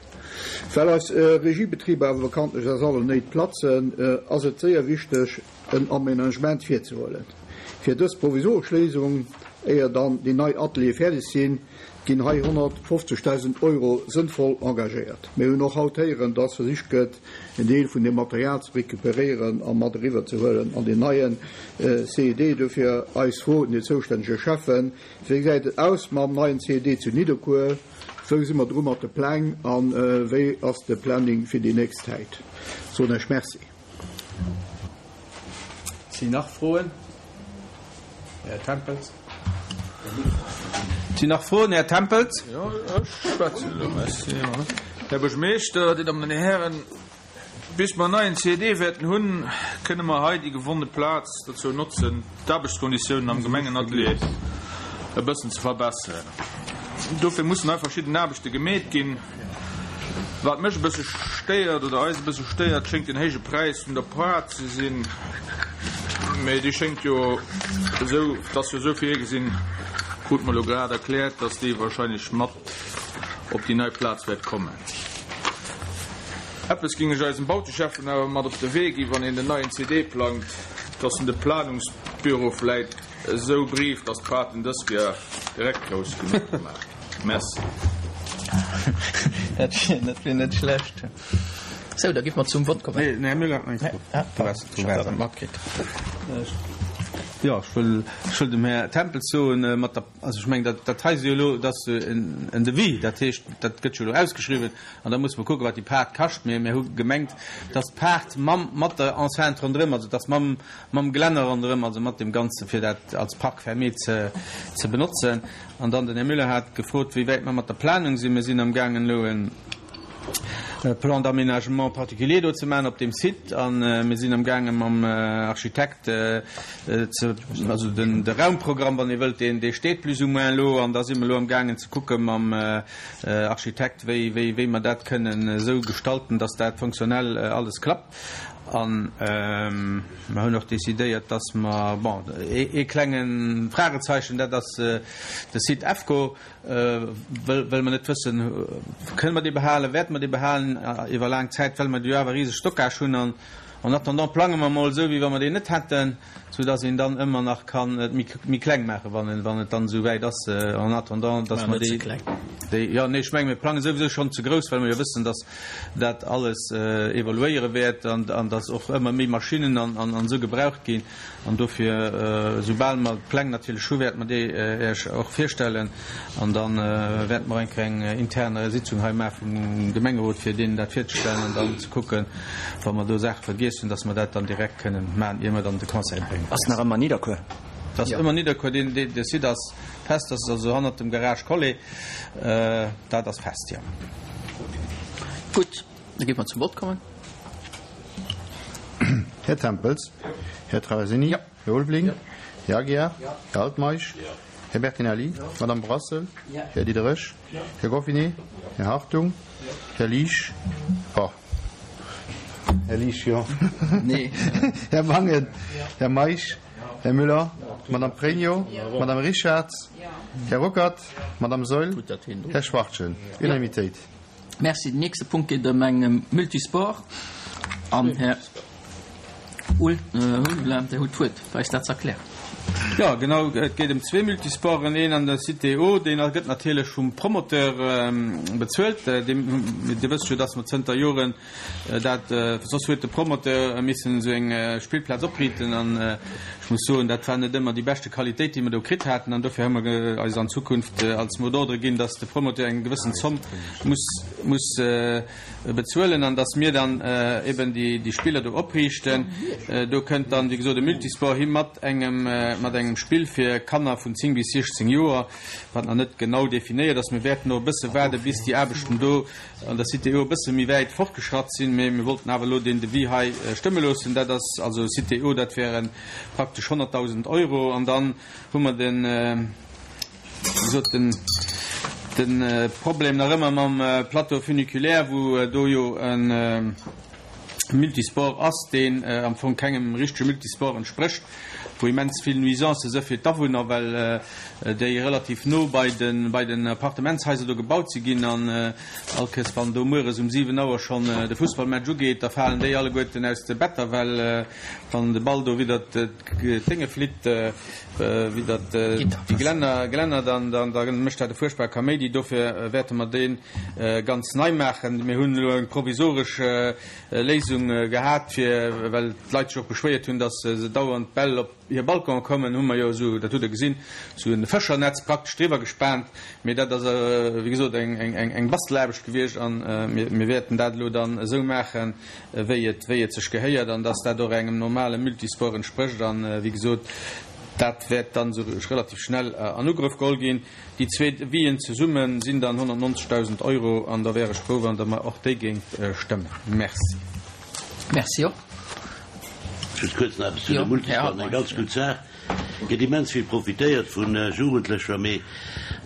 Well eis Regiebetriber awer bekanntlech aus allen Néit platzen, ass et séier wichteg, en Aménagement virzehuelen. Fir dës provisoresch Léisung, éier dann déi nei Ateliere fäerdeg sinn, ginn hei 150.000 Euro sënnvoll engagéiert. Mir hunn och haut héieren, dass versicht gëtt, en Deel vun deem Material ze recuperéieren a mat eriwwer ze huelen an deen neien CED. Dofir eis Fro un den zoustännege Schäffen, Wéi gesäit et aus mam neien CED zu Nidderkuer? Wou si mer dru mat de Pläng a wéi ass de Planning fir déi nächst Zäit? Soen ech Merci. Sinn nach Froen? Här Tempels. Sinn nach Froen? Här Tempels. Jo, ech schwätzen elo. Merci. Här Buergermeeschter, Dir Dammen an Dir Hären, bis mer en neien CED wäerten hunn, kënne mer hei déi gewonne Plaz dozou notzen, d'Aarbechtskonditiounen am Gemengenatelier e bëssen ze verbesseren. Dofir mussen hei verschidden Aarbechte gemeet ginn. Wat mech e bësse stéiert, oder eis e bësse stéiert, schéngt den héije Präis vun der Poart ze sinn. Mee déi schéngt jo esou, et ass jo esou virgesinn, krute mer elo grad erkläert, dass déi wahrscheinlech mat op déi nei Plaz wäert kommen. Eppes géing ech eisem Bauteschäffen awer mat op de Wee ginn, wann een den neien CD plangt, dass en de Planungsbüro vläit esou brieft, dass d'Paarten dës Kéier direkt grouss genuch gemaach ginn. Merci. Dat wier, dat wier net schlecht. Sou, da gi mer zum Vott kommen. Nee, Här Müller hat nach eng Fro. Du waars, du waars net matkritt. Jo, ech wëll, ech wëll dem Här Tempels soen, mat der, also ech mengen, dat, dat hei si jo elo, dat ass en, en Devis, dat heescht, dat gëtt jo elo ausgeschriwwen an da musse mer kucken, wat déi Paart kascht. Mee mir hu gemengt, dass d'Paart mam, mat der Enceinte ronderëm, also dass mam, mam Gelänner ronderëm, also mat deem Ganzen, fir dat als Parc fermé ze, ze benotzen. An dann den Här Müller hat gefrot, wéi wäit mer mat der Planung sinn. Mir sinn amgaangen elo e Plan d'aménagement particulier do ze maachen op deem Site a mir sinn amgaange mam Architekt ze, also den, de Raumprogramm, wann ee wëllt, deen, dee steet plus ou moins elo an da si mer elo amgaangen ze kucke mam Architekt, wéi, wéi, wéi mer dat kënnen esou gestalten, dass dat fonctionnel alles klappt. An mer hunn och decidéiert, dass mer, bon, ee klenge Fragezeichen, dat ass de Site EFCO, wëll mer net wëssen, kënne mer dee behalen, wäerte mer dee behalen iwwer laang Zäit, well mer do jo awer e riseg Stockage hunn. An en attendant plange mer emol esou, wéi wa mer deen net hätten, soudass een dann ëmmer nach kann et méi kleng maachen, wann et dann esou wäit ass, en attendant, dass mer déi, déi, jo, nee, ech menge mir plange souwisou schonn ze grouss, well mer jo wëssen, dass dat alles evoluéiere wäert an dass och ëmmer méi Maschinnen an esou gebraucht ginn. An dofir, esoubal mer d'Pläng natierlech hu, wäerte mer déi Iech och virstellen an da wäerte mer eng kleng intern Sitzung hei maache vum Gemengerot, fir deenen dat virzestellen an dann ze kucken, wa mer do Saache vergiess hunn, dass mer dat dann direkt kënnen maachen, ier mer dann de Conseil bréngen. Ass nach ëmmer Nidderkuer. Dat ass ëmmer Nidderkuer. Deen, dee, de Site ass fest, dat ass also hannert dem Garage Collet. Dat ass fest, jo. Gutt, da géife mer zum Vott kommen. Här Tempels, Här Traversini, Här Ulveling, Här Aguiar, Här Altmeisch, Här Bertinelli, Madame Brassel, Här Diderich, Här Goffinet, Här Hartung, Här Liesch, oh, Här Liesch, jo, Här Mangen, Här Meisch, Här Müller, Madame Pregno, Madame Richarz, Här Ruckert, Madame Saeul, Här Schwachtgen. Unanimitéit. Merci. Den nächste Punkt geet ëm eng Multisport. An Här Ulveling, Dir hutt d'Wuert, fir eis dat ze erklären. Jo, genau, et geet ëm zwee Multisporten, een an der Cité O, deen gëtt natierlech vum Promoteur bezuelt. Dir wësst jo, dass mer zënter Joren dat, soss huet de Promoteur missen esou eng Spillplaz opriiten an ech muss soen, dat war net ëmmer déi beschte Qualitéit, déi mer do kritt haten an dofir hu mer eis an Zukunft als Mot d'ordre ginn, dass de Promoteur eng gewëssen Zomm muss, muss bezuelen an dass mir dann eben déi Spiller do opriichten. Do kënnt dann, wéi gesot, e Multisport hi mat engem, mat engem Spill fir Kanner vun 10 bis 16 Joer, wat nach net genau definéiert ass. Mir wäerten och e bësse waarde bis déi Aarbechten do an der Cité O e bësse méi wäit fortgeschratt sinn, mee mir wollten awer elo deen Devis hei stëmme loossen. Dat ass also Cité O, dat wäre praktesch 100.000 Euro. An dann hu mer den, wéi gesot, den, de Problem nach ëmmer mam Plateau funiculaire, wou do jo e Multisport ass, deen am Fong kengem richtege Multisport entsprécht, wou immens vill Nuisancë si fir d'Awunner, well déi relativ no bei de bei den Appartementshaiser do gebaut si ginn. An all Kéiers, wann do mueres um 7 Auer schonn de Fussballmatch ugeet, da falen déi alleguerten aus de Better, well wann de Ball do widder d'Dénge flitt, widder déi Gelänner, Gelänner, dann da mécht dat e fuerchtbare Kaméidi. Dofir wäerte mer dee ganz nei maachen. Mir hunn elo eng provisoresch Léisung gehat, fir, well d'Leit sech och beschwéiert hunn, datt se dauernd d'Bäll op hir Balconen kommen, hu mer jo esou, dat hutt Der gesinn, esou e Fëschernetz praktesch driwwer gespaant. Mee dat ass, wéi gesot, eng Bastelaarbecht gewiescht a mir wäerten dat elo dann esou maachen, wéi et, wéi et sech gehéiert an dass dat och engem normale Multisport entsprécht. An, wéi gesot, dat wäert dann esou relativ schnell an Ugrëff geholl ginn. Déi zwee Devisen zesumme sinn dann 190.000 Euro an da wär ech frou, wann Der mer och déi géingt stëmmen. Merci. Merci och. Just kuerz nach eppes zu de Multisporten, eng ganz gutt Saach. Gëtt immens vill profitéiert vun Jugendlecher, mee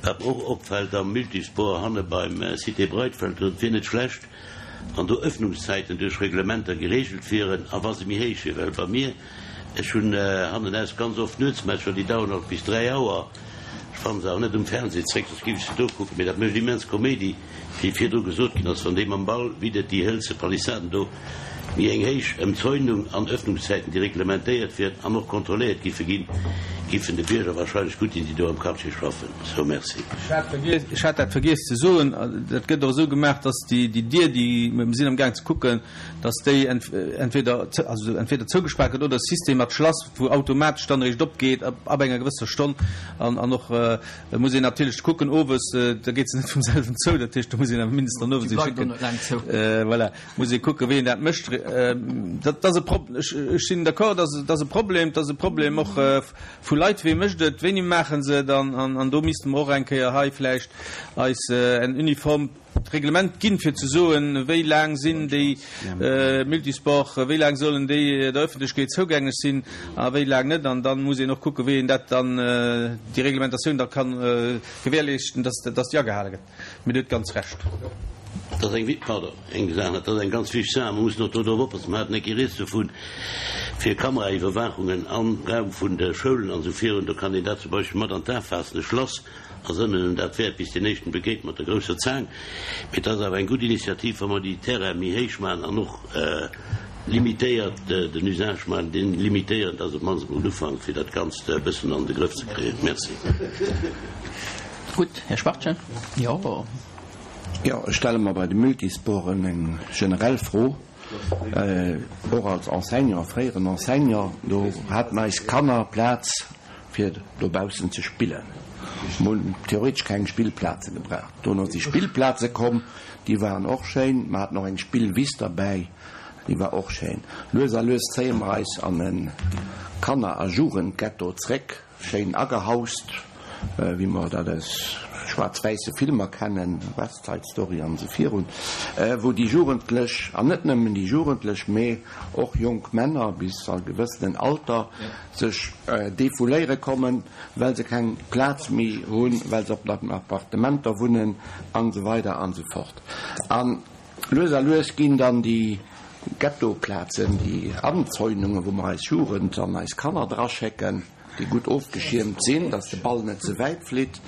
wat mer och opfält am Multisport hanne beim Cité Breitfeld, et wier net schlecht, wann do Öffnungszäiten duerch Reglementer geregelt wieren a wa se méi héich wieren, well bei mir, ech hunn hannenaus ganz oft Nuetsmatcher, déi daueren alt bis 3 Auer, ech fannen se awer net um Fernseh zréck, soss géif ech se do kucken, mee dat mécht immens Koméidi, wéi virdru gesot ginn ass, wann dee mam Ball widdert déi hëlze Palissaden do, méi eng héich Ëmzäunung an Öffnungszäiten, déi reglementéiert wieren an och kontrolléiert giffe ginn, giffen de Bierger wahrscheinlech gutt dinn, déi do am Quartier schaffen. Sou, merci. Ech hat dat vergiess ze soen, dat gëtt och esou gemaach, dass déi Dier, déi, mir sinn amgaang ze kucken, dass déi entweder, also entweder zougespaart gëtt oder e System mat Schlass, wou automatesch dann eréischt opgeet ab enger gewësser Stonn. An och muss een natierlech kucken, owes, da geet se net vum selwen zou, dat heescht, do muss een awer mindestens dann owes ee schécken. Voilà, muss ee kucken, wéi een dat mécht. Dat ass e Prob, ech sinn d'accord, dat ass e Problem, dat ass e Problem och vu Leit, wee mécht et, wéini maache se et an do misste mer och eng Kéier hei vläicht eis en uniformt Reglement ginn, fir ze soen, wéi laang sinn déi Multisport, wéi laang sollen déi der Öffentlechkeet zougänglech sinn a wéi laang net. An da muss een och kucken, wéi een dat dann, déi Reglementatioun da ka gewährleeschten, dass déi agehale gëtt. Mee Dir hutt ganz Recht. Dat ass eng, pardon, eng Saach, dat ass eng ganz wichteg Saach. Mer mussen och do drop oppassen. Mer haten eng Kéier rieds dovun, fir Kameraiwwerwaachungen am Raum vun de Schoulen an esou virun. Do kann een dat zum Beispill mat an d'A faassen. E Schlass ass ënnen dat wäert, bis deen éischten begeet mat der grousser Zaang. Mee et ass awer eng gutt Initiativ, wa mer déi Terraine méi héich maachen an och limitéiert den Usage maachen, deen limitéieren, dat ass op d'mannst emol en Ufank, fir dat Ganzt e bëssen an de Grëff ze kréien. Merci. Gutt, Här Schwachtgen. Jo. Jo, ech stelle mer bei de Multisporten eng generell Fro, och als Enseignant, fréieren Enseignant, do haten eis Kanner Plaz fir dobaussen ze spillen. Mir hunn theoretesch keng Spillplaze gebraucht. Dono si Spillplaze komm, déi waren och schéin. Mer haten och eng Spillwiss derbäi. Déi war och schéin. Lues a lues zéie mer eis an e Kanner a Jugendghetto zréck, schéin agehaust, wéi mer dat aus schwaarz-wäisse Filmer kennen, West Side Story an esou virun, wou déi Jugendlech, an net nëmmen déi Jugendlech, mee och jonk Männer bis a gewëssenen Alter, sech defouléiere kommen, well se keng Plaz méi hunn, well se op den Appartementer wunnen an esou weider an esou fort. An Lues a lues ginn dann déi Ghettoplazen, déi Anzäunungen, wou mer eis Jugend an eis Kanner draschécken, déi gutt ofgeschiermt sinn, dass de Ball net ze wäit flitt,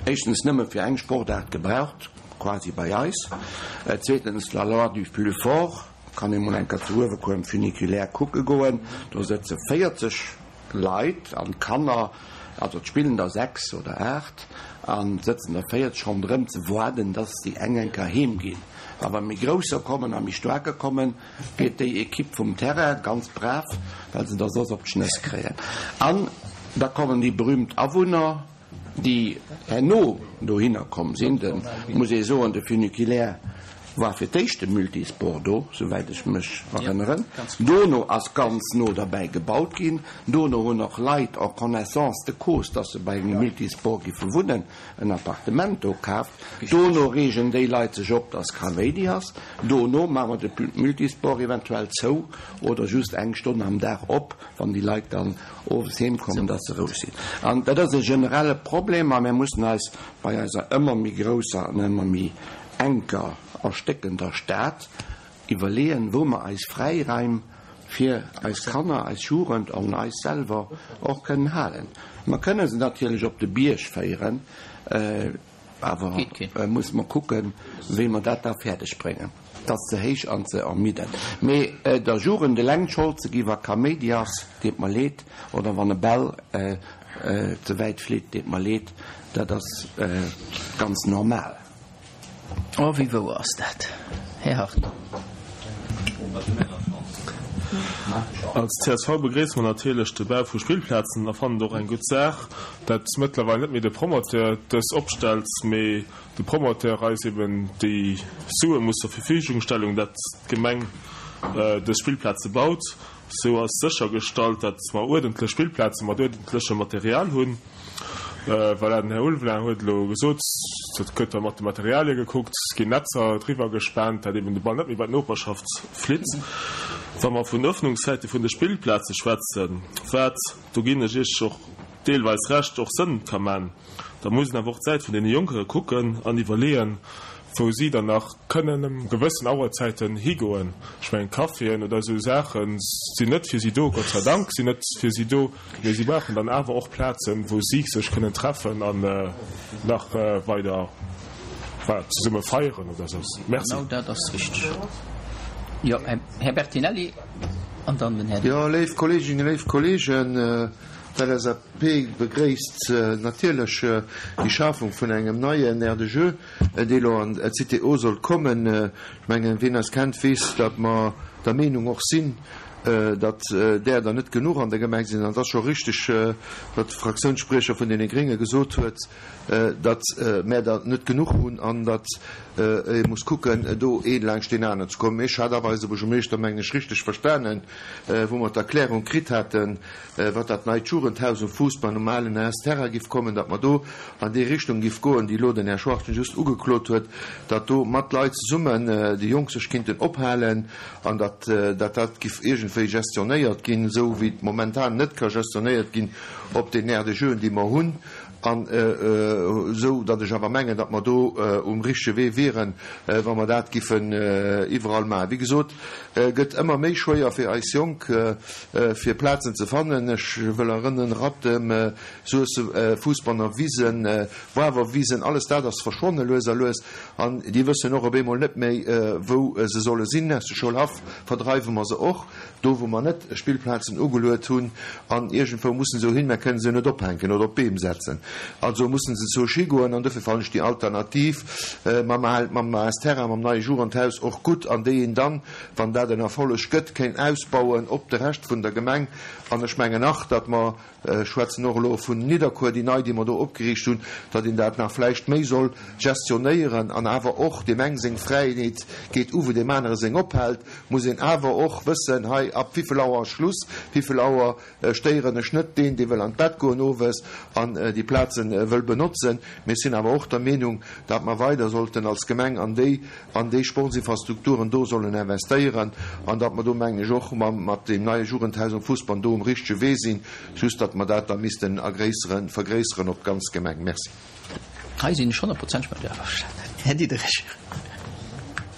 éischtens nëmme fir eng Sportaart gebraucht, quasi bei eis, zweetens la loi du plus fort, kann ee mol eng Kéier zu Uewekuer um Funiculaire kucke goen, do sëtze 40 Leit an d'Kanner, also et spillen der 6 oder 8 an sëtzen der 40 ronderëm ze woarden, dass déi eng eng Kéier heem ginn. A wa méi Grousser kommen a méi Staarker kommen, geet déi Equipe vum Terrain, ganz brav, well se der soss op d'Schnëss kréien. An da kommen déi berühmt Awunner. déi herno dohinner komm sinn, de, muss ee soen, de Funiculaire war fir d'éischt de Multisport do, souwäit ech mech erënneren. Dono ass ganz no derbäi gebaut ginn. Dono hunn och Leit en connaissance de cause, dass se bei engem Multisport giffe wunnen, en Appartement do kaaft. Dono reegen déi Leit sech op, dass Kaméidi ass. Dono maache mer de Multisport eventuell zou oder just eng Stonn am Dag op, wann déi Leit dann owes heem kommen, dass se roueg sinn. An dat ass e generelle Problem a mir mussen eis bei eiser ëmmer méi grousser an ëmmer méi enker erstéckender Stad iwwerleeën, wou mer eis Fräiraim fir eis Kanner, eis Jugend an eis selwer och kënnen halen. Mer kënnen se natierlech op de Bierg féieren, Awer musse mer kucken, wéi mer dat da fäerdeg bréngen. Et ass ze héich an ze ermiddend. Mee der Jugend eleng d'Schold ze gi wa Kaméidi ass, deet mer leed, oder wann e Ball ze wäit flitt, deet mer leed, dat ass ganz normal. Oh, wéi wouer ass dat, Här Hartung? Als csv begréisse mer natierlech de Bau vu Spillplazen a fannen et och eng gutt Saach, dat mëttlerweil net méi de Promoteur dës opstellt, mee de Promoteur eis eben déi Sue muss zur Verfügung stellung, dat d'Gemeng dës Spillplaze baut. Sou ass séchergestallt, dat mer uerdentlech Spillplaze mat uerdentlechem Material hunn. Voilà, den Här Ulveling huet elo gesot, et gëtt da mat de Materialie gekuckt, et ginn Netzer driwwer gespaant, dat eben de Ball net méi bei d'Noperschaft flitt. Wa mer vun Öffnungszäite vun de Spillplaze schwätzen, wat, do ginn ech Iech och deelweis Recht, och Sënn ka man, da muss een awer och d'Säit vun deene Jonkere kucken an iwwerleeën, wou si dann nach kënnen ëm gewëssen Auerzäiten higoen. Ech mengen, Caféen oder esou Saache sinn net fir si do, Gott sei Dank sinn net fir si do, mee si brauchen dann awer och Plazen, wou si sech kënnen treffen an nach weider, voilà, zesumme feieren oder esou. Merci. Genau dat ass richteg. Jo, Här Bertinelli an dann den Här. Jo, léif Kolleeginnen, léif Kolleegen, d'LSAP begréisst natierlech déi Schafung vun engem neien Aire de jeu, dee elo an d'Cité O soll kommen. Ech mengen, wien eis kennt, weess, datt mer der Meenung och sinn, datt där der net genuch an der Gemeng sinn. An et ass scho richtig, wat de Fraktiounsspriecher vun deene Grénge gesot huet, datt mär der net genuch hunn an datt ee muss kucken, do ee laanscht deen aneren ze kommen. Ech hat awer eise Buergermeeschter, mengen ech, richtig verstanen, wou mer d'Erklärung kritt haten, wat dat neit Jugendhaus um Fuussbann um alen AS Terrain giff kommen, datt mer do an déi Richtung giff goen, déi elo den Här Schwachtgen just ugeklot huet, datt do mat Leit zesummen déi Jonk sech kinnten ophalen an datt datt dat giff iergendwéi gestionnéiert ginn, esou wéi et momentan net ka gestionnéiert ginn op den Aires de jeuxen, déi mer hunn, an esou datt ech awer mengen, datt mer do um richtege Wee wieren, wa mer dat giffen iwwerall maachen. Wéi gesot, gëtt ëmmer méi schwéier fir eis Jonk, fir Plazen ze fannen. Ech wëll erënneren, Rattem, Suessem, Fuussbanner Wisen, Wawerwisen, alles dat ass verschwonne lues a lues. An déi wëssen och op eemol net méi, wou se solle sinn. Aus de Schoulhaff verdreiwe mer se och, do wou mer net Spillplazen ugeluet hunn. An iergendwou mussen se hin, mer kënnen se jo net ophänken oder op d'Beem setzen. Also mussen se zur Ski goen. An dofir fannen ech déi Alternativ mam mam AS Terrain, mam neie Jugendhaus och gutt, an déi een dann, wann dat en Erfolleg gëtt, kéint ausbauen op de Rescht vun der Gemeng. An ech mengen nach, datt mer. Ech schwätzen och elo vun Nidderkuer, déi nei, déi mer do opgeriicht hunn, datt een dat nach vläicht méi soll gestionnéieren an awer och deem eng seng Fräiheet geet u wou deem anere seng ophält, muss een awer och wëssen, hei ab wéivill Auer ass Schluss, wéivill Auer stéieren ech net deen, dee wëll an d'Bett goen owes an déi Plaze wëll benotzen. Mee ech sinn awer och der Meenung, datt mer weider sollten als Gemeng an déi an déi Sportsinfrastrukturen do sollen investéieren an datt mer do, mengen ech, och mat deem neie Jugendhaus um Fussbann do um richtege Wee sinn, just datt mer dat da missten ergréisseren, vergréisseren op d'ganz Gemeng. Merci. Hei sinn ech honnertprozenteg mat Iech averstanen, Här Diderich.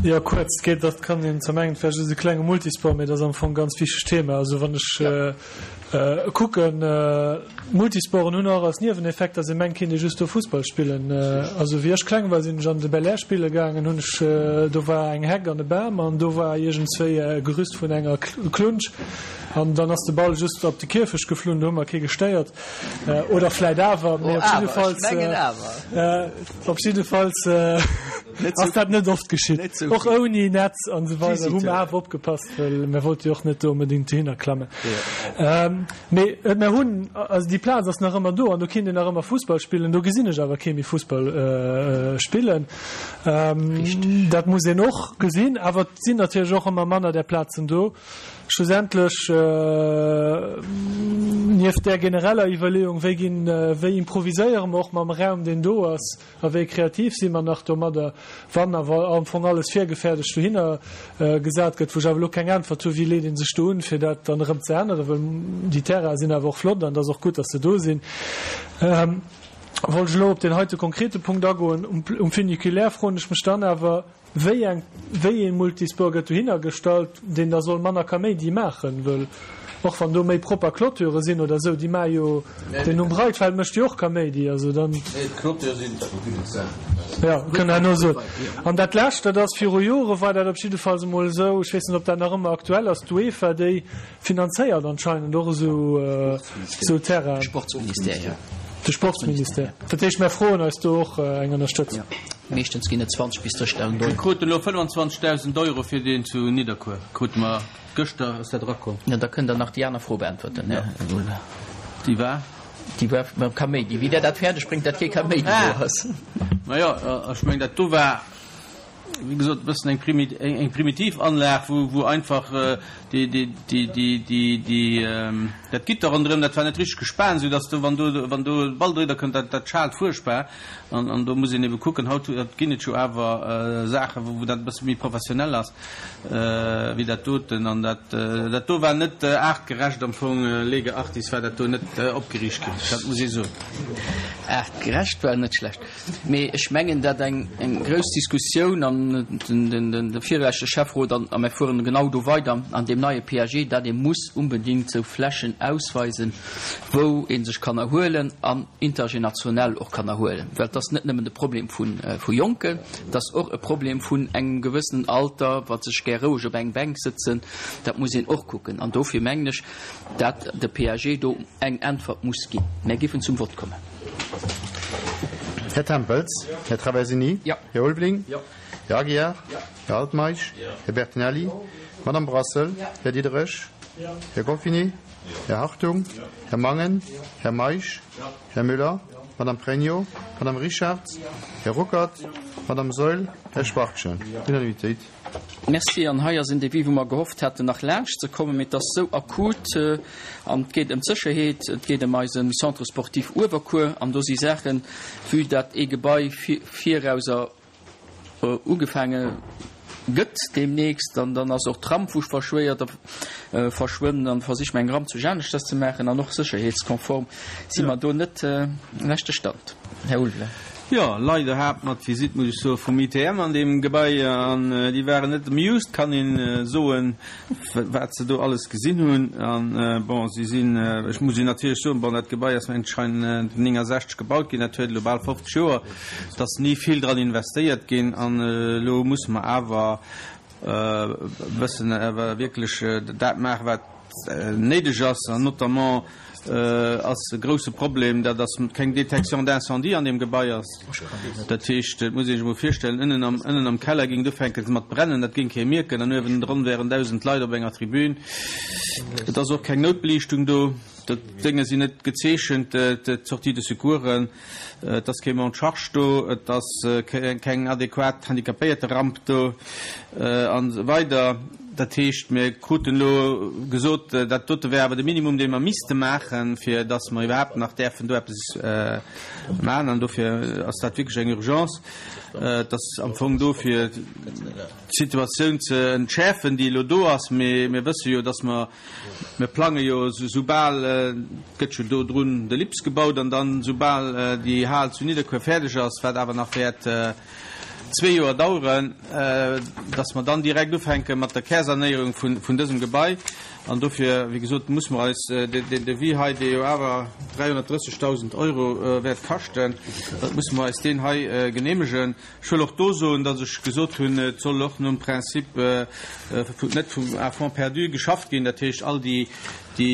Jo, kuerz, et geet, dat kann een zwar mengen, et wär just e klenge Multisport, mee et ass am Fong e ganz wichtegt Thema. Also wann ech kucken, Multisporten hunn och als Nieweneffekt, datt ee mengt, kéint ee just do Fussball spillen. Also wéi ech kleng war, sinn ech an de Belair spille gaangen, hunn ech, do war eng Heck an e Bam an do war iergendswéi e Gerüst vun enger Klunsch an dann ass de Ball just op de Kierfecht geflunn, do hu mer kee gestéiert. Oder vläit awer, mee op jiddefalls, op jiddefalls ass dat net oft geschitt. Och ouni Netz an esou weider hu mer awer opgepasst, well mer wollte jo och net do onbedéngt dohinner klammen. Mee mer hunn, also déi Plaz ass nach ëmmer do an do kinnt een nach ëmmer Fussball spillen. Do gesinn ech awer kee méi Fussball spillen. Dat muss een och gesinn. Awer et sinn natierlech och ëmmer manner där Plazen do. Schlussendlech, nieft där genereller Iwwerleeung, wéi ginn, wéi improviséiere mer och mam Raum, deen do ass, a wéi kreativ si mer nach domadder, wann awer am Fong alles virgefäerdegt dohinner gesat gëtt, wou ech awer elo keng Äntwert hu, wéi leet ee sech do un, fir dat dann erëm ze änneren, well déi Terrainen sinn awer och flott an et ass och gutt, datt se do sinn. Wollt ech elo op deen heite konkrete Punkt agoen. Um Funiculaire froen ech mech dann awer, Wéi eng, wéi ee Multisport gëtt dohinner gestallt, deen da soll manner Kaméidi maachen? Wëll och wann do méi propper Clôture sinn oder esou, déi maache jo, deen um Breitfeld mécht jo och Kaméidi, also dann. Nee, d'Clôture sinn. Jo, kënnt herno soen. An dat Lescht, dat ass, viru Jore war dat op jiddefalls emol esou, ech weess net, ob dat nach ëmmer aktuell ass, d'UEFA, déi Finanzéiert anscheinend och esou Terrainen. Sportsministère, jo. De Sportsministère. Dat heescht, mär froen eis do och eng Ënnerstëtzung. Meeschtens ginn et 20 bis 30.000 Euro. Mir kruten elo 25.000 Euro fir deen zu Nidderkuer, krute mer gëschter, ass dat erakomm. Jo, da kënnt Der nach déi aner Fro beäntwerten, Här Ulve. Déi war? Déi war mam Kaméidi. Wéi Der dat fäerdeg bréngt, datt kee Kaméidi do ass. Majo, ech mengen, dat do war. wéi gesot, e bëssen eng primitiv Anlag, wou einfach dat Gitter ronderëm, dat war net richteg gespaant, esou datt do, wann do, wann do e Ball driwwer kënnt, dat, dat schaalt fuerchtbar. An, an do muss een ebe kucken, haut ginn et jo awer Saachen, wou dat e bësse méi professionell ass wéi dat doten. An dat, dat do war net aartgerecht am Fong, lege artis war dat do net opgeriicht ginn, dat muss ee soen. Aartgerecht war net schlecht. Mee ech mengen, dat eng grouss Diskussioun an de virleschte Schäfferot an a mir fueren genau do weider an deem neie PAG, dat ee muss unbedingt esou Flächen ausweisen, wou ee sech kann erhuelen an intergenationell och kann erhuelen. Well et ass net nëmmen de Problem vu Jonken, et ass och e Problem vun engem gewëssenen Alter, wat sech gär roueg op eng Bänk sëtzen. Dat muss een och kucken. An dofir mengen ech, dat de PAG do eng Äntwert muss ginn. Mär géifen zum Vott kommen. Här Tempels, Här Traversini, Här Ulveling, Här Aguiar, Här Altmeisch, Här Bertinelli, Madame Brassel, Här Diderich, Här Goffini, Här Hartung, Här Mangen, Här Meisch, Här Müller, Madame Pregno, Madame Richartz, Här Ruckert, Madame Saeul, Här Schwachtgen. Unanimitéit. Merci. An hei ass en Devis, wou mer gehofft haten, nach laanscht ze kommen, mee et ass esou akut an et geet ëm d'Sécherheet, et geet ëm eise Centre sportif Uewerkuer an do si Saachen, vue dat ee Gebai virauser ugefaange gëtt deemnächst an dann ass och d'Tramfusch verschwéiert a verschwënn an versiche mer eng Ramp zu aneschters ze maachen an och sécherheetskonform si mer do net leschte Stand. Här Ulveling. Jo, leider hat mer d'Visitt, muss ech soen, vum ITM an deem Gebai an déi waren net amused, kann een soen, wat se do alles gesinn hunn. An bon, si sinn, ech muss een natierlech soen, bon, dat Gebai ass anscheinend 69 gebaut ginn, dat huet elo bal 50 Joer, et ass ni vill dran investéiert ginn an elo musse mer awer e bëssen awer wierklech dat maachen, wat néideg ass, an notamment. Ass e grousse Problem, dat ass keng Détection d'incendie an deem Gebai ass. Dat heescht, et muss ee sech emol virstellen, ënnen am, ënnen am Keller géing et ufänken mat brennen, dat géing kee mierken, an uewendrun wären 1.000 Leit op enger Tribün. Et ass och keng Noutbeliichtung do, d'Dénge sinn net gezeechent, d'Sortie de secoursen. Et ass kee Monte-charge do, et ass keng adequat Handicapéierteramp do an esou weider. Dat heescht, mir kruten elo gesot, dat dote wär awer de Minimum, dee mer misste maachen, fir datt mer iwwerhaapt nach däerfen do eppes maachen. An dofir ass dat wierklech eng Urgence. Et ass am Fong do fir d'Situatioun ze entschäerfen, déi elo do ass. Mee mir wësse jo, datt mer Mir plange jo soubal, et gëtt jo do drun de Lips gebaut, an dann soubal déi Hal zu Nidderkuer fäerdeg ass, wat awer nach wäert zwee Joer daueren, dass mer dann direkt ufänke mat der Kärsanéierung vun dësem Gebai. An dofir, wéi gesot, muss mer eis deen Devis hei, dee jo awer 330.000 Euro wäert kaschten, dat musse mer eis deen hei genehmegen. Ech wëll och do soen, datt ech gesot hunn, et soll och nom Prinzip net vum à fonds perdu geschafft ginn. Dat heescht, all déi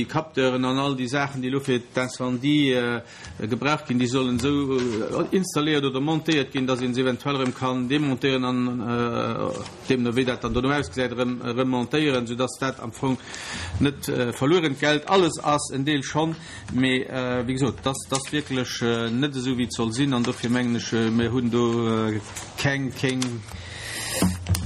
Capteuren an all déi Saachen, déi elo fir d'Incendie gebraucht ginn, déi sollen esou installéiert oder montéiert ginn, datt ee se eventuell erëm kann demontéieren an, deemno wéi dat dann dono ausgesäit, erëm remontéieren, soudatt dat am Fong net verluerent Geld alles ass, en Deel schonn. Mee wéi gesot, et ass wierklech net esou, wéi et soll sinn. An dofir mengen ech, mir hunn do keng, keng,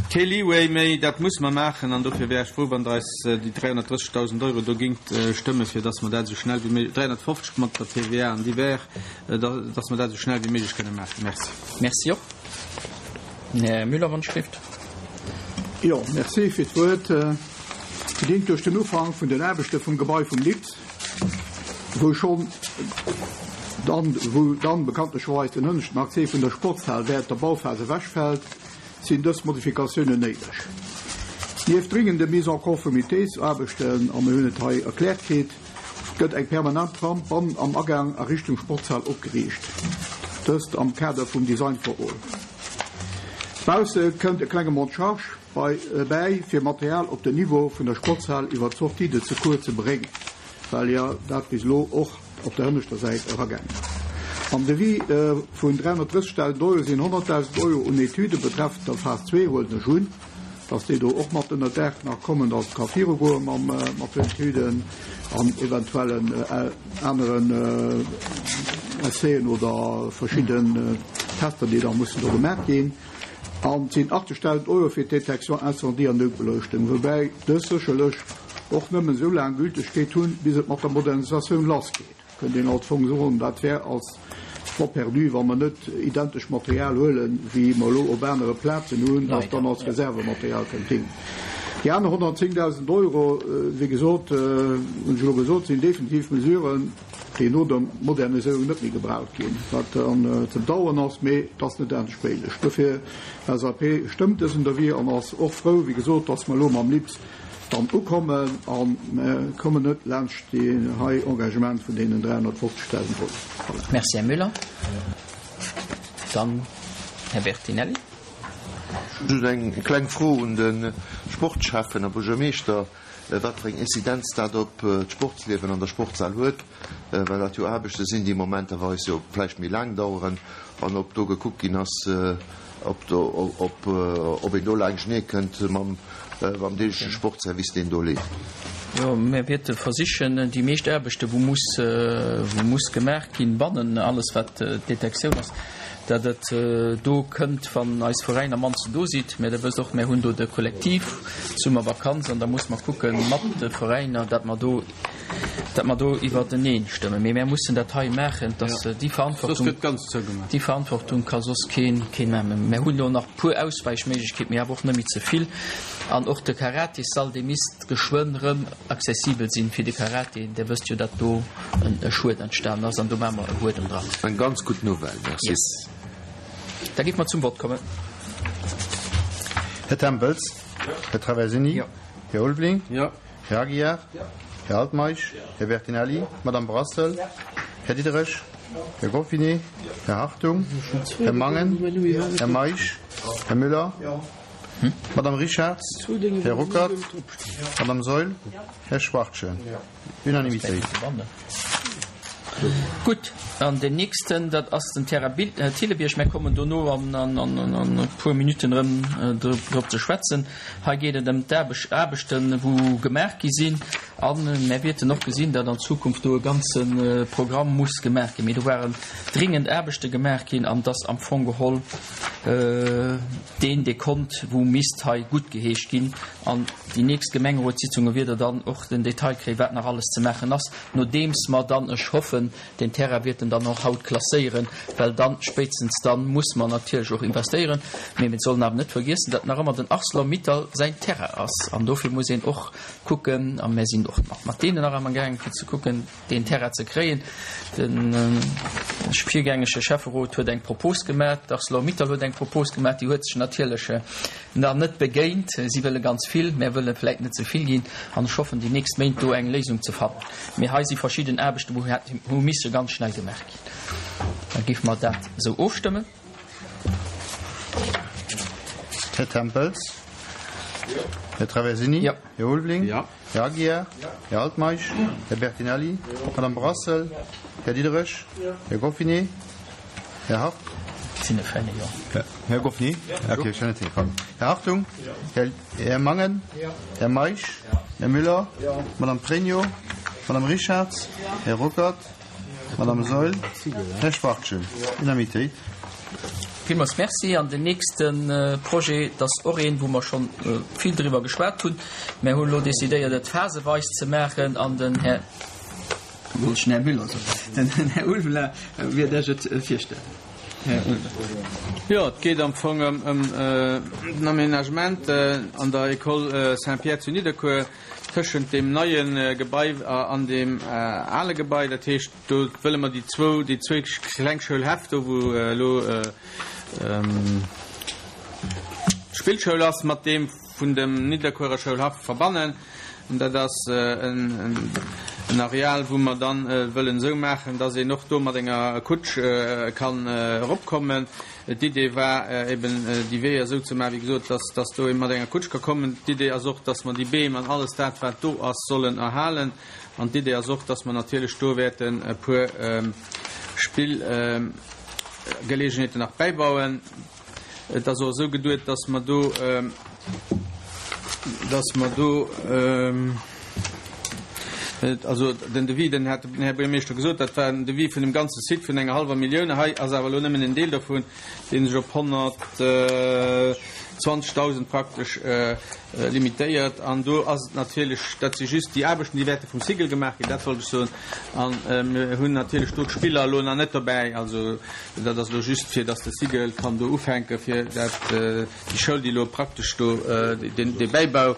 kee Leeway méi. Dat musse mer maachen. An dofir wär ech frou, wann Der eis déi 330.000 Euro do géingt stëmmen, fir dass mer dat esou schnell wéi méiglech, 350 mat der TVA an divers, dass mer dat esou schnell wéi méiglech kënne maachen. Merci. Merci och. Här Müller, wann ech dierft. Jo, merci fir d'Wuert. Bedéngt duerch den Ufank vun den Aarbechte vum Gebai vum LIPS, wou schonn dann, wou dann bekanntlecherweis den hënneschten Accès vun der Sportshal während der Bauphas ewechfält, sinn dës Modifikatiounen néideg. Nieft dringende Mise en conformités-Aarbechten, a mir hunn et hei erkläert kritt, gëtt eng permanent Ramp bannen am Agaang a Richtung Sportshal opgeriicht, dëst am Kader vum Design for All. Bausse kënnt e klenge Monte-charge bäi, fir Material op den Niveau vun der Sportshal iwwer d'Sortie de secours ze bréngen, well jo dat bis elo och op der hënneschter Säit eragaangen ass. Am Devis vun 330.000 Euro sinn 100.000 Euro un Etüde betreffend der Phas 2, huelen ech un, dass déi do och mat ënner Daach nach kommen, dass et ka virugoe mat den Etüden an eventuellen aneren Essayen oder verschidden Tester, déi da mussen do gemaach ginn. An et sinn 80.000 Euro fir d'Détection incendie an Noutbeleuchtung, woubäi dës sécherlech och nëmmen esou laang Gültegkeet hunn, bis et mat der Modernisatioun lassgeet. Kënnt een als Fong soen, dat wär als Fonds perdu, wa mer net identesch Material huelen, wéi mer elo op anere Plazen hunn, dat dann als Reservematerial kënnt déngen. Déi aner 110.000 Euro, wéi gesot, hunn ech elo gesot, sinn definitiv Mesuren, déi no der Moderniséierung net méi gebraucht ginn, wat dann ze bedauern ass, mee et ass net anescht méiglech. Dofir, LSAP stëmmt dësen Devis an ass och frou, wéi gesot, dass mer elo mam LIPS dann ukommen a mer kommen net laanscht deen hei Engagement vun deenen 350.000 Euro. Voilà. Merci, Här Müller. Dann Här Bertinelli. Just eng kleng Fro un de Sportschäffen a Buergermeeschter. wat fir eng Inzidenz dat op d'Sportsliewen an der Sportshal huet, well dat jo Aarbechte sinn, déi momenterweis jo vläicht méi laang daueren, an ob do gekuckt ginn ass, ob do, ob, ob een do laanschtenee kënnt mam, mam deegleche Sportservice, deen do leeft. Jo, mir wäerte versichen, déi meescht Aarbechte wou muss, wou muss gemaach ginn, bannen alles wat d'Detektioun ass, datt et do kënnt, wann eis Veräiner mannsten do sidd. Mä Der wësst och, mär hunn do de Kollektiv, d'Summervakanz, an da muss mer kucke mat de Veräiner, datt mer do, datt mer do iwwerteneen stëmmen. Mee mär mussen dat hei maachen, datt déi Verantwortung, déi Verantwortung ka soss keen, keen maachen. Mär hunn elo nach e puer Auswäichméiglechkeeten, mee awer och net méi ze vill. An och de Karatessall, dee misst geschwënn rëm accessibel sinn fir de Karate. Dir wësst jo, datt do e Schued entstanen ass an do maache mer e Buedem dran. Eng ganz gutt Nouvelle, merci. Yes. Da géife mer zum Vott kommen. Här Tempels? Här Traversini? Här Ulveling? Här Aguiar? Här Altmeisch? Här Bertinelli? Madame Brassel? Här Diderich? Här Goffinet? Här Hartung? Här Mangen? Här Meisch? Här Müller? Madame Richarz, Här Ruckert, Madame Saeul, Här Schwachtgen. Unanimitéit. Gutt, an deen nächsten, dat ass den Terrain Thillebiërg. Mär kommen dono an e puer Minutten erëm drop ze schwätzen. Hei geet et ëm d'Aarbechten, wou gemaach gi sinn. A mär wäerten och gesinn, datt an Zukunft do e ganze Programm muss gemaach ginn. Mee do waren dringend Aarbechte gemaach ginn an dass am Fong geholl deen Dekont, wou misst hei guttgeheescht ginn. An déi nächst Gemengerotssitzunge wier Der dann och den Detail kréien, wat nach alles ze maachen ass. Nodeems mer dann, ech hoffen, deen Terrain wäerten dann och haut klasséieren, well dann, spéitstens dann, muss mer natierlech och investéieren. Mee mir sollen awer net vergiessen, datt nach ëmmer den Arcelor-Mittal säin Terrain ass. An dofir muss een och kucken, a mir sinn och mat deenen nach amgaangen, fir ze kucken, deen Terrain ze kréien. De virgängege Schäfferot huet eng Propos gemaach, d'Arcelor-Mittal huet eng Propos gemaach, déi huet sech natierlech Nach net begéint. Si wëlle ganz vill, mär wëlle vläit net ze vill ginn an ech hoffen déi nächst Méint do eng Léisung ze fannen. Mee hei si verschidden Aarbechten, wou hu misse ganz schnell gemaach ginn. Da géife mer dat esou ofstëmmen. Här Tempels? Jo. Här Traversini? Jo. Här Ulveling? Jo. Här Aguiar? Jo. Här Altmeisch? Jo. Här Bertinelli? Jo. Madame Brassel? Jo. Här Diderich? Jo. Här Goffinet? Här Hart? Sinn e Fälle, jo. Här Goffny? Okay, ech hunn net hingefall. Här Hartung? Här, Här Mangen? Här Meisch? Här Müller? Madame Pregno? Madame Richarz? Här Ruckert? Madame Saeul? Här Schwachtgen? Unanimitéit. Villmools Merci. An den nächste Projet, dat ass och een, wou mer scho vill driwwer geschwat hunn. Mer hunn elo decidéiert, et phaseweis ze maachen an den Här. Wollt ech den Här Müller soen. Den Här Ulveling wäert Iech et virstellen. Här Ulveling. Jo, et geet am Fong ëm den Aménagement an der École Saint-Pierre zu Nidderkuer tëschent deem neie Gebai an deem ale Gebai. Dat heescht, do wëlle mer déi zwou, déi zwéi kleng Schoulhäff, do wou elo d'Spillschoul ass, mat deem vun dem Nidderkuerer Schoulhaff verbannen. Dat ass en Areal, wou mer dann wëllen esou maachen, dass een och do mat enger Kutsch kann eropkommen. D'Idee war eben, déi Weeër esou ze maachen, wéi gesot, dass dass do ee mat enger Kutsch ka kommen. D'Idee ass och, dass mer déi Beem an alles dat, wat do ass, sollen erhalen. An d'Idee ass och, dass mer natierlech do wäerten e puer Spillgeleegenheeten nach bäibauen. Et ass och esou geduet, dass mer do, dass mer do, also den Devis, den hat den Här Buergermeeschter gesot, dat war en Devis vun dem ganze Site vun enger hallwer Millioun. Hei ass awer elo nëmmen en Deel dovun, dee sech op 120.000 praktesch limitéiert. An do ass et natierlech, dat si just déi Aarbechten, déi wäerte vum Cigl gemaach ginn, dat wollt ech soen. A mir hunn natierlech do d'Spiller elo nach net dobäi. Also Dat ass elo just, fir dass de Cigl kann do ufänken, fir dat, déi Schoul, déi elo praktesch do, deen, dee Bäibau,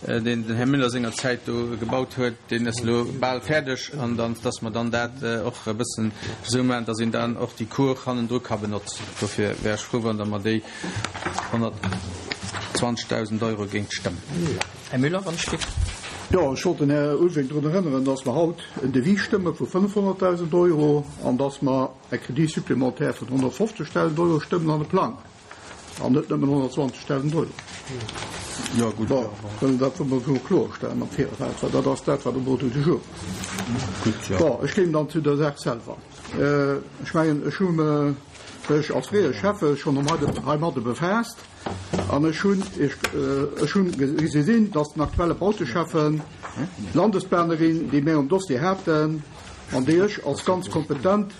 deen den Här Müller sengerzäit do gebaut huet, deen ass elo bal fäerdeg, an dann, dass mer dann dat och e bëssen esou maachen, dass een dann och déi Cour hannendru ka benotzen. Dofir wär ech frou, wann Der mer déi 120.000 Euro géingt stëmmen. Här Müller, wann ech giff. Jo, ech wollt den Här Ulveling drun erënneren, dass mer haut en Devis stëmme vu 500.000 Euro an dass mer, E Crédit supplémentaire vun 150.000 Euro stëmmen an de Plang, an net nëmmen 120.000 Euro. Jo, gutt. Bon, wëllen dat wëlle mer esou kloerstellen am Virfeld, well dat ass dat, wat um Ordre du jour ass. Gutt, jo. Bon, ech kéim dann zu der Saach selwer. Ech mengen, ech hu mech als fréiere Schäffe schonn heimadde befaasst an ech hunn, ech hunn gesinn, dass den aktuelle Bauteschäffen, d'Landesplanerin, déi mir um Dossier haten, an déi ech als ganz kompetent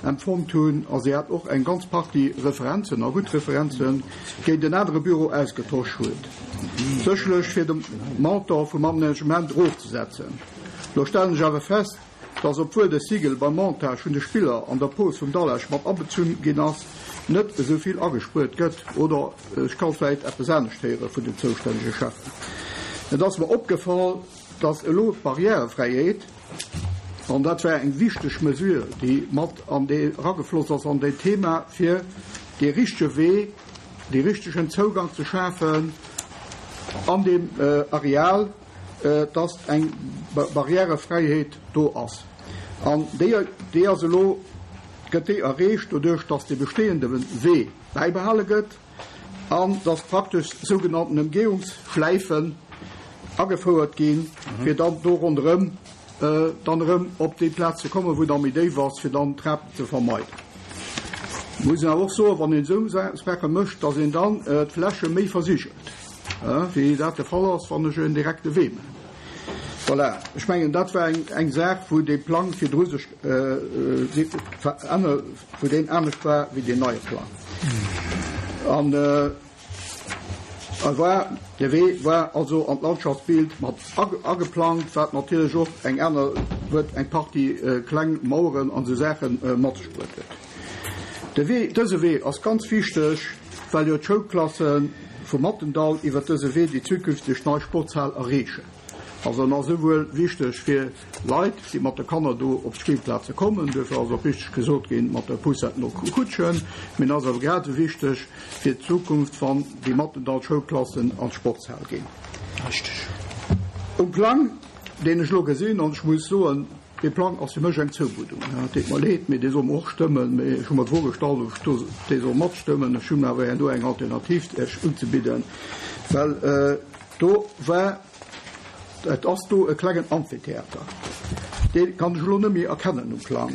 empfonnt hunn, a si hat och eng ganz Partie Referenzen, a gutt Referenzen, géint en anere Büro ausgetosch huet, sécherlech fir de Montant vum Aménagement erofzesetzen. Lo stellen ech awer fest, dass, obwuel de Sigel beim Montage vun de Spiller an der Pose vum Dallage mat abezunn ginn ass, net esou vill agespuert gëtt, oder ech ka vläit eppes anescht héiere vun den zoustännege Cheffen. Et ass mer opgefall, dass elo d'Barrièrefräiheet, an dat war eng wichteg Mesure, déi mat an dee eragefloss ass an deen Thema, fir dee richtege Wee, dee richtegen Zougang ze schafen an deem Areal, dass eng Barrièrefräiheet do ass. An déi, déi ass elo, gëtt déi erreecht doduerch, dass dee bestehende Wee bäibehale gëtt, an dass praktesch sougenannten Emgehungsschläifen agefouert ginn, fir dann do ronderëm. dann erëm op déi Plaz ze kommen, wou et da méi déif ass, fir dann d'Trapen ze vermeiden. Muss een awer och soen, wann een esou Saache mécht, dass een dann d'Fläche méi versigelt, wéi dat de Fall ass, wann ech en direkte Wee maachen. Voilà, ech mengen, dat war eng Saach, wou dee Plang virdru sech verännert, wou deen anescht war wéi deen neie Plang. An e war, de Wee war also an d'Landschaftsbild mat ageplangt, wat natierlech och eng aner huet, eng Partie kleng Maueren an esou Saache mat sech bruet huet. De Wee, dëse Wee ass ganz wichteg, well jo d'Schoulklasse vum Mattendall iwwert dëse Wee déi zukünfteg nei Sportshal erreechen. Also en ass esouwuel wichteg fir Leit, déi mat de Kanner do op d'Spillplaze kommen, duerfir ass och richteg gesot ginn, mat der Poussette no Kutschen, mee en ass awer grad esou wichteg fir d'Zukunft, wann déi Mattendall-Schoulklassen an d'Sportshal ginn. Um Plang, deen ech elo gesinn, an ech muss soen, dee Plang ass fir mech eng Zoumuddung, et deet mer leed, mee dee soll mer och stëmmen, mee ech hu mer d'Fro gestallt, ob ech do dee soll matstëmmen. Ech hunn awer herno eng Alternativ Iech unzebidden, well do war, Et ass do e klengen Amphitheater. Dee kann ech elo net méi erkennen um Plang.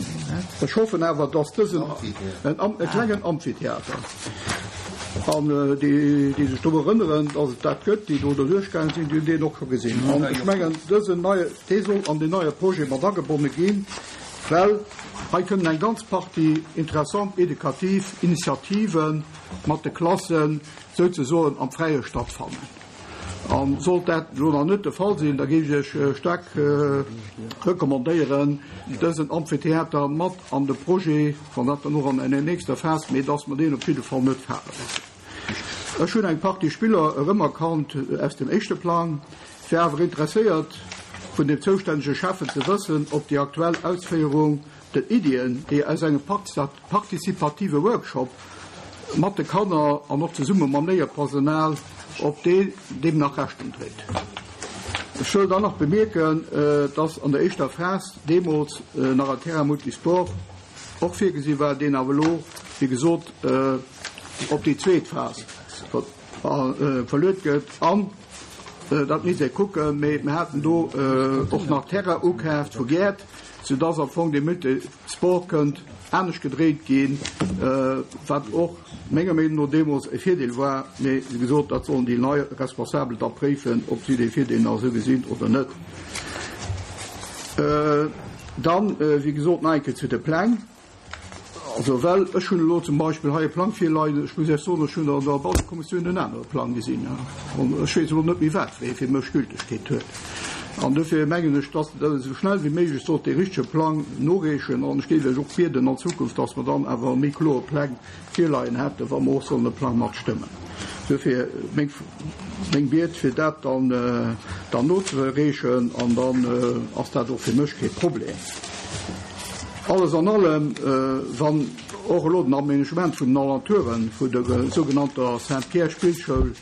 Ech hoffen awer, dass dësen, e klengen Amphitheater, an déi, déi sech do erënneren, dass et dat gëtt, déi do derduerch gaange sinn, déi hunn deen och scho gesinn. An ech mengen, dësen neie, dee soll an deen neie Projet mat agebonne ginn, well hei kënnen eng ganz Partie interessant edukativ Initiative mat de Klassen souzesoen am Fräie stattfannen. A sollt dat elo nach net de Fall sinn, da géif ech Iech staark recommandéieren, dësen Amphitheater mat an de Projet, wann dat dann och an enger nächster Phas, mee dass mer deen op jidde Fall net fale loossen. Ech hunn eng Partie Spiller erëmerkannt aus dem éischte Plang, wär awer interesséiert, vun dem zoustännege Schäffen ze wëssen, ob déi aktuell Ausféierung Den Iddien, déi aus engem partizipative Workshop mat de Kanner an och zesumme mam Léierpersonal, op dee deem nach Rechnung dréit. Ech wëll dann nach bemierken, dass an der éischter Phas deemools nach en Terrain multisport och virgesi war, deen awer elo, wéi gesot, op déi zweet Phas verluet gëtt. An dat misst ee kucken, mee mir haten do och nach Terrain ukaaft vu Gäert, soudass am Fong dee Multisport kënnt anescht gedréit ginn, wat och menger Meenung no deemools e Virdeel war. Mee wéi gesot, dat sollen déi nei Responsabel da préifen, ob si dee Virdeel nach esou gesinn oder net. Dann, wéi gesot, nach eng Kéier zu de Pläng. Also, well ech hunn elo zum Beispill hei e Plang virleien, ech muss Iech soen, ech hunn an der Bautekommissioun en anere Plang gesinn an ech weess elo net méi, wat wéi fir mech Gültegkeet huet. An dofir mengen ech, dass Der esou schnell wéi méiglech sollt dee richtege Plang noreechen an ech géif Iech och bieden an Zukunft, dass mer dann awer méi kloer Pläng virleien hätten, wa mer och sollen e Plang matstëmmen. Dofir meng, meng Biet, fir dat dann, dann nozereechen an dann ass dat och fir mech kee Problem. Alles an allem, wann och elo den Aménagement vun den Alentoure vun der sougenannter Saint-Pierre-Spillschoul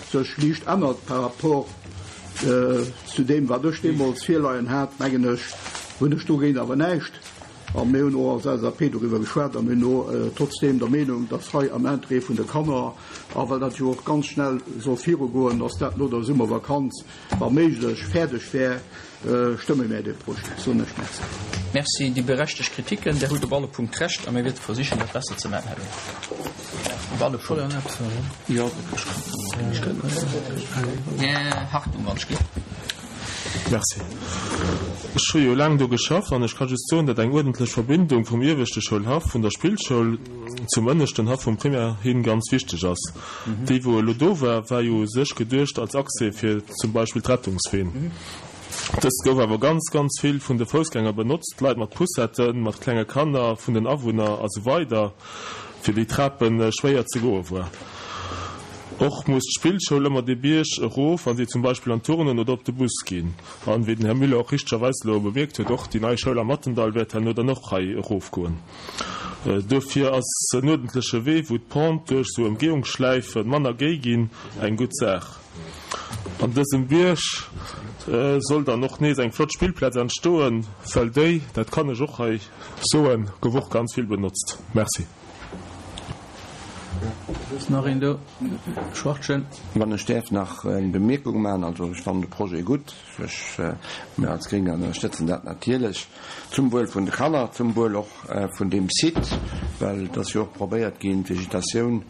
sech liicht ännert par rapport zu deem, wat ech deemools virleien hat, mengen ech, hunn ech dogéint awer näischt. A mir hunn och als LSAP doriwwer geschwat a mir hunn och trotzdeem der Meenung, dass hei am Interêt vun de Kanner, a well dat jo och ganz schnell soll virugoen, dass dat no der Summervakanz wa méiglech fäerdeg wär, stëmme mär dee Projet. Soen ech Merci. Merci. Déi berechtegt Kritiken, Där hutt op alle Punkt Recht a mir wäerte versichen, dat besser ze maachen, Här Lehner. Op alle Punkt. Jo, Här Hartung, wann ech gleef. Merci. Ech hu jo laang do geschafft an ech ka just soen, datt eng uerdentlech Verbindung vum ieweschte Schoulhaff vun der Spillschoul zum ënneschten Haff vum Primaire hin ganz wichteg ass. Déi wou elo do war, war jo u sech geduecht als Accès fir zum Beispill d'Rettungsween. Dëst gouf awer ganz, ganz vill vun de Foussgänger benotzt, Leit mat Poussetten, mat klenge Kanner, vun den Awunner a sou weider, fir déi Trape schwéier ze goe war. Och muss d'Spillschoul ëmmer dee Bierg erof, wa si zum Beispill an d'Turnen oder op de Bus ginn. An, wéi den Här Müller och richtegerweis elo bemierkt huet, och déi nei Schoul am Mattendall wäert herno dann och hei erofgoen. Duerfir ass en uerdentleche Wee, wou d'Pente duerch esou Emgehungsschläife manner géi ginn, eng gutt Saach. An dësem Bierg soll dann och nees eng flott Spillplaz entstoen, well déi, dat kann ech och hei soen, gouf och ganz vill benotzt. Merci. Ass nach een do? Schwachtgen. Wann ech däerf nach eng Bemierkung maachen, also ech fannen de Projet gutt, ech, mir als Gréng ënnerstëtzen dat natierlech, zum Wuel vun de Kanner, zum Wuel och vun deem Site, well et ass jo och probéiert ginn, d'Vegetatioun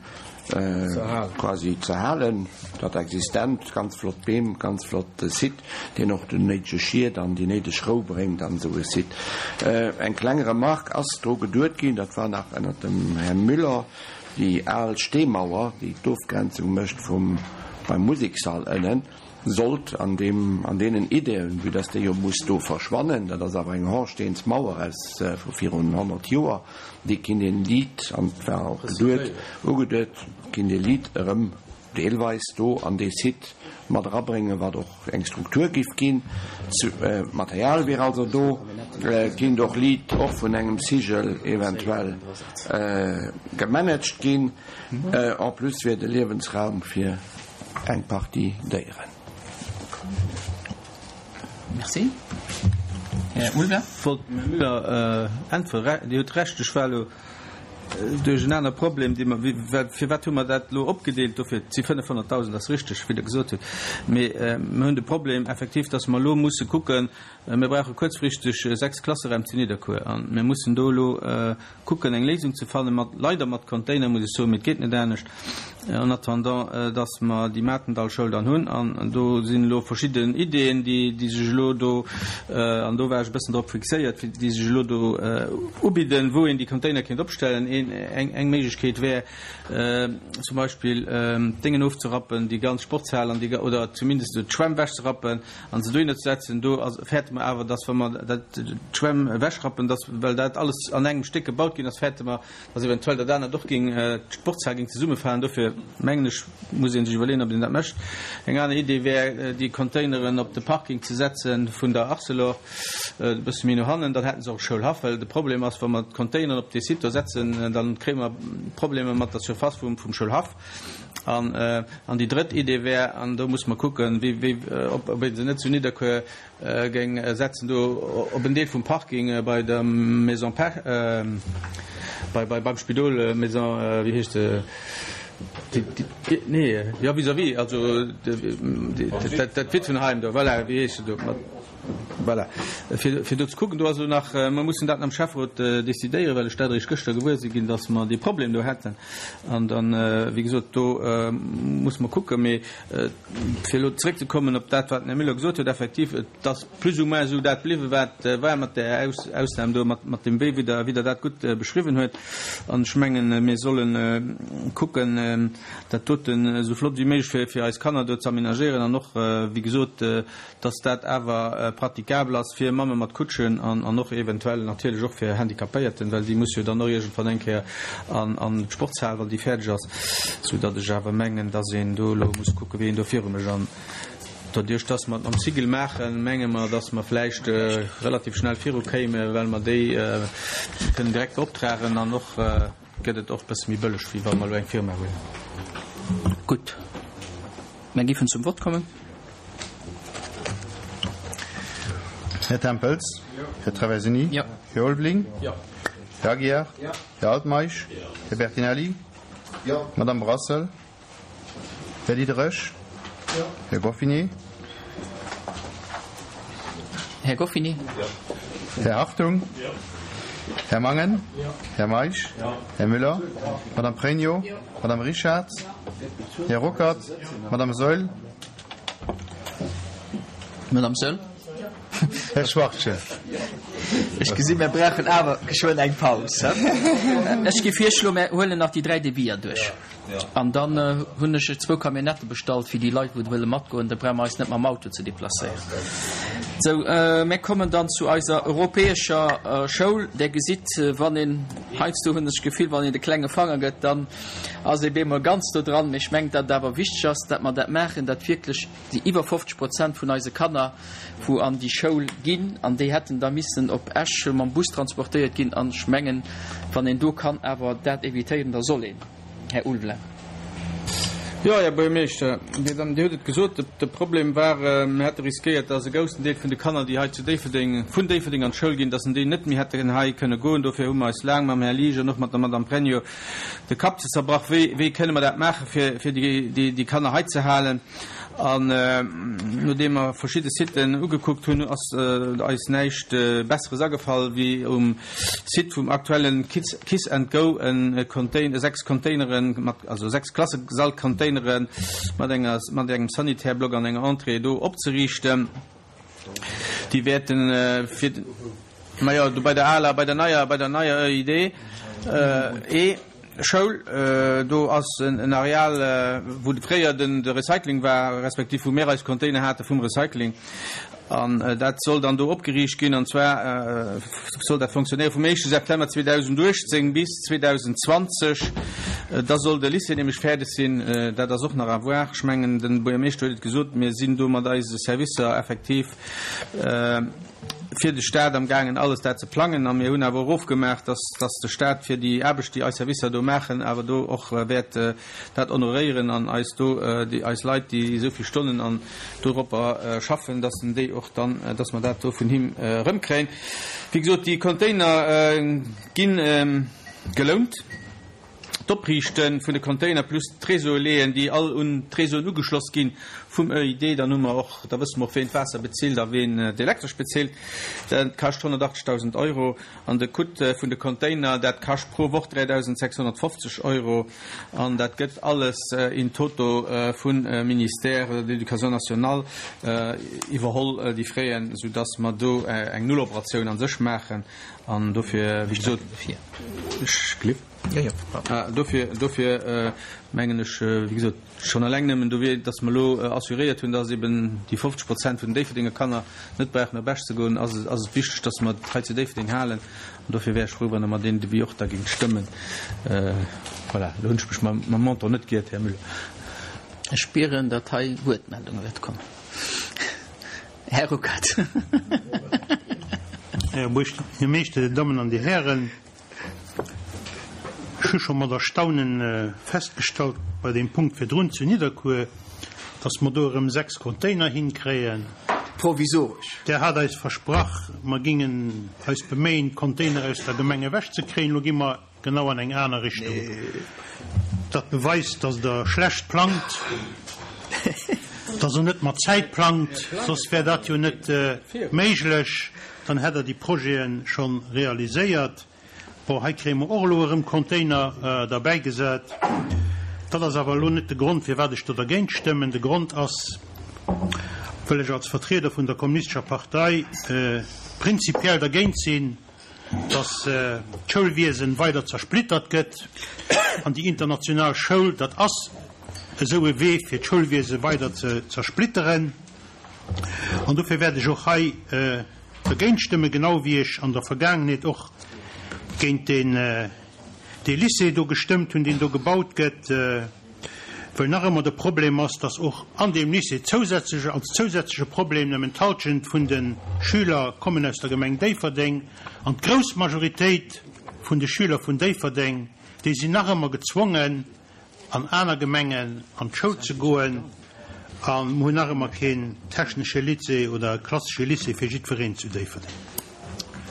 quasi ze halen, dat existent, ganz flott Beem, ganz flott Site, deen och den néidege Schied an déi néideg Rou bréngt an esou e Site. Eng kleng Remarque ass dru geduet ginn, dat war nach ënnert dem Här Müller, déi al Steemauer, déi d'Ofgrenzung mécht vum beim Musekssall ënnen, sollt an deem, an deenen Ideeën, vue dass déi jo muss do verschwannen, dat ass awer eng Horsteensmauer aus vu virun 100 Joer, déi kinnt een liit, an et war och geduet, ugeduet, kinnt ee liit erëm deelweis do an dee Site mat erabréngen, wat och eng Struktur giff ginn. D'Material wier also do, kinnt och liit och vun engem Sigel eventuell gemanagt ginn. En plus wier et e Liewensraum fir eng Partie Déieren. Merci. Här Ulver. Wollt dem Här Müller äntweren. Dir hutt Recht, ech war elo duerch en aner Problem, dee mer, well firwat hu mer dat elo opgedeelt? Dofir, et si 500.000, ass richteg, wéi Der gesot hutt, mee mer hunn de Problem effektiv, dass mer elo musse kucken, mir brauche kuerzfristeg 6 Klasseraim zu Nidderkuer a mir mussen do elo kucken eng Léisung ze fannen, mat, leider mat Container, muss ech soen, mee et geet net anescht, en attendant dass mer déi Matendallschoul dann hunn. An do sinn elo verschidden Ideeën, déi, déi sech elo do, an do war ech e bëssen drop fixéiert, déi sech elo do ubidden, wou een déi Container kéint opstellen. Een, eng, eng Méiglechkeet wär zum Beispill d'Déngen ofzerappen, déi ganz Sportshal an déi, oder zumindest d'Schwämm ewechzerappen, An se dohinner ze setzen, do ass, fäerte mer awer, dass, wa mer dat, d'Schwämm ewechrappen, dass, well dat alles an engem Stéck gebaut ginn ass, fäerte mer, dass eventuell dat anert och géing, d'Sportshal géing zesummefalen. Dofir mengen ech, muss ee sech iwwerleeën, ob een dat mécht. Eng aner Idee wär, déi Containeren op de Parking ze setze vun der Arcelor, e bësse méi no hannen, dann hätte se och e Schoulhaff. Well de Problem ass, wa mer d'Containeren op dee Site do setzen, da kréie mer Problemer mat der Surface vum Schoulhaff. An, an déi drëtt Idee wär, an do muss mer kucken, wéi, wéi, ob, ob ee se net zu Nidderkuer géing setzen, do op en Deel vum Parking bei der Maison Pech, bei, bei, beim Spidol, Maison, wéi heescht se, déi, déi, nee, jo, vis-à-vis, also dat, dat Witwenheim do, voilà, wéi heescht se do? Voilà. Fir, fir do ze kucken, do ass elo nach, mer mussen dat am Schäfferot decidéieren, well ech dat eréischt gëschter gewuer si ginn, dass mer dee Problem do hätten. An dann, wéi gesot, do musse mer kucken. Mee fir elo zeréckzekommen op dat, wat den Här Müller gesot huet, effektiv, et ass plus ou moins esou dat bliwwen, wat war, mat där Ausnam do, mat, mat dem Wee, wéi Der, wéi Der dat gutt beschriwwen huet. An ech mengen, mir solle kucken, dat doten esou flott wéi méiglech fir, fir eis Kanner do ze aménagéieren an och, wéi gesot, dass dat awer praticabel ass fir Mamme mat Kutschen an och eventuell natierlech och fir Handicapéierten, well déi musse jo dann och iergendwann eng Kéier an d'Sportshal, wann déi fäerdeg ass, soudatt ech awer mengen, dass een do elo muss kucken, wéi een do viru mécht. An doduerch, dass mer et mam Cigl maachen, menge mer, dass mer vläicht relativ schnell virukéimen, well mer déi kënnen direkt beoptragen an och, Gëtt et och bësse méi bëlleg, wéi wa mer elo eng Firma huelen. Gutt, mer géifen zum Vott kommen. Här Tempels? Här Traversini? Här Ulveling? Här Aguiar? Här Altmeisch? Här Bertinelli? Madame Brassel? Här Diderich? Här Goffinet? Här Goffinet. Här Hartung? Här Mangen? Här Meisch? Här Müller? Madame Pregno? Madame Richard? Här Ruckert? Madame Saeul? Madame Saeul? Här Schwachtgen. Ech gesinn, mir brauchen awer geschwënn eng Paus. Ech géif virschloen, mir huelen nach déi 3 Deviser duerch. An dann hunn ech zwou Camionnette bestallt fir déi Leit, wou wëlle matgoen. Da brauche mer eis net mam Auto ze deplacéieren. Sou, mir kommen dann zu eiser europäescher Schoul. Der gesitt, wann een, heiansdo hunn ech d'Gefill, wann een de klenge Fanger gëtt, dann ass ee bemol ganz do dran. Mee ech mengen, datt et awer wichteg ass, datt mer dat maachen, datt wierklech déi iwwer 50 Prozent vun eise Kanner, wou an déi Schoul ginn, an déi hätten da missen op Esch mam Bus transportéiert ginn. An ech mengen, wann een do kann awer dat évitéieren, da soll een. Här Ulveling. Jo, Här Buergermeeschter, Dir Dammen, Dir hutt et gesot, de Problem war, mir hätte riskéiert, dass e groussen Deel vun de Kanner, déi hei zu Déifferdeng, vun Déifferdeng an d'Schoul ginn, dass en déi net méi hätten hei kënne goen. Dofir hu mer eis laang mam Här Liesch an och mat der Madame Pregno de Kapp ze zerbrach, wéi, wéi kënne mer dat maachen, fir, fir déi, déi, déi Kanner hei ze halen. An nodeem mer verschidde Siten ugekuckt hunn, ass eis näischt Besseres agefall, wéi um Site vum aktuellen Kiss and Go e Container, 6 Containeren mat, also 6 Klassesallcontainere mat enger, mat engem Sanitärblock an enger Entrée do opzeriichten. Déi wäerten fir, majo, do bei der aler, bei der neier, bei der neier EID, E. Schoul, do ass en Areal, wou fréier de Recycling war, respektiv wou mir eis Container hate vum Recycling. An dat soll dann do opgeriicht ginn. An zwar soll dat fonctionnéiere vum éischte September 2018 bis 2020. Da soll de Lycée nämlech fäerdeg sinn. Dat ass och nach à voir. Ech mengen, de Buergermeeschter huet et gesot, mir sinn do mat eise Servicer effektiv fir de Stat am gaangen alles dat ze plangen a mir hunn awer och ofgemaach, dass dass de Stat fir déi Aarbecht, déi eis Servicer do maachen, awer do och wäert dat honoréieren an eis do déi eis Leit, déi esou vill Stonnen an doropper schaffen, dass en déi och dann, dass mer dat do vun him erëmkréien. Wéi gesot, déi Container gi gelount. D'Opriichte vun de Container plus d'Réseaue leeën, déi all un d'Réseauen ugeschloss gi vum EID. Dann hu mer och, da wësse mer och, ween d'Waasser bezilt a ween d'Elektresch bezilt. Dat kascht 180.000 Euro. An de Coût vun de Container, dat kascht pro Woch 3.650 Euro. An dat gëtt alles in toto vum Ministère de l'Éducation nationale iwwerholl, déi Fräen, soudass mer do eng Nulloperatioun a sech maachen. An dofir, wéi gesot, ech. Dofir, dofir mengen ech, wéi gesot, schonn eleng nëmmen dowéi, datt mer elo assuréiert hunn, datt eben déi 50 Prozent vun den Déifferdenger Kanner net brauchen op Esch ze goen, ass et, ass et wichteg, datt mer et hei zu Déifferdeng halen. An dofir wär ech frou, wann Der mer deen Devis och da géingt stëmmen. Voilà, elo hunn ech mech mam, mam Montant net giert, Här Müller. Ech spieren, datt hei Wuertmeldunge wäerte kommen. Här Ruckert. Här Buergermeeschter, Dir Dammen an Dir Hären, Ech hu scho mat Erstaunen festgestallt bei deem Punkt virdrun zu Nidderkuer, dass mer do erëm 6 Container hinkréien. Provisoresch. Der hat eis versprach, mer gingen eis beméien, d'Container aus der Gemeng ewechzekréien. Elo gi mer genau an eng aner Richtung. Dat beweist, dass Der schlecht plangt, dass Der net mat Zäit plangt, soss wär dat jo net méiglech. Dann hätt Der déi Projete scho realiséiert. Bon, hei kréie mer och elo erëm Container derbäigesat. Dat ass awer elo net de Grond, firwat ech do dergéint stëmmen. De Grond ass, well ech als Vertrieder vun der Kommunistescher Partei prinzipiell dergéint sinn, dass d'Schoulwiesen weider zersplittert gëtt. An déi international Schoul, dat ass esou e Wee, fir d'Schoulwiese weider ze zersplitteren. An dofir wäert ech och hei dergéint stëmmen, genau wéi ech an der Vergaangenheet och géint deen dee Lycée do gestëmmt hunn, deen do gebaut gëtt, well nach ëmmer de Problem ass, dass och an deem Lycée zousätzlech, als zousätzleche Problem nëmmen d'Halschent vun de Schüler kommen aus der Gemeng Déifferdeng an d'grouss Majoritéit vun de Schüler vun Déifferdeng, déi sinn nach ëmmer gezwongen, an aner Gemengen an d'Schoul ze goen a mer hunn nach ëmmer keen technesche Lycée oder klassesche Lycée fir jiddwereen zu Déifferdeng.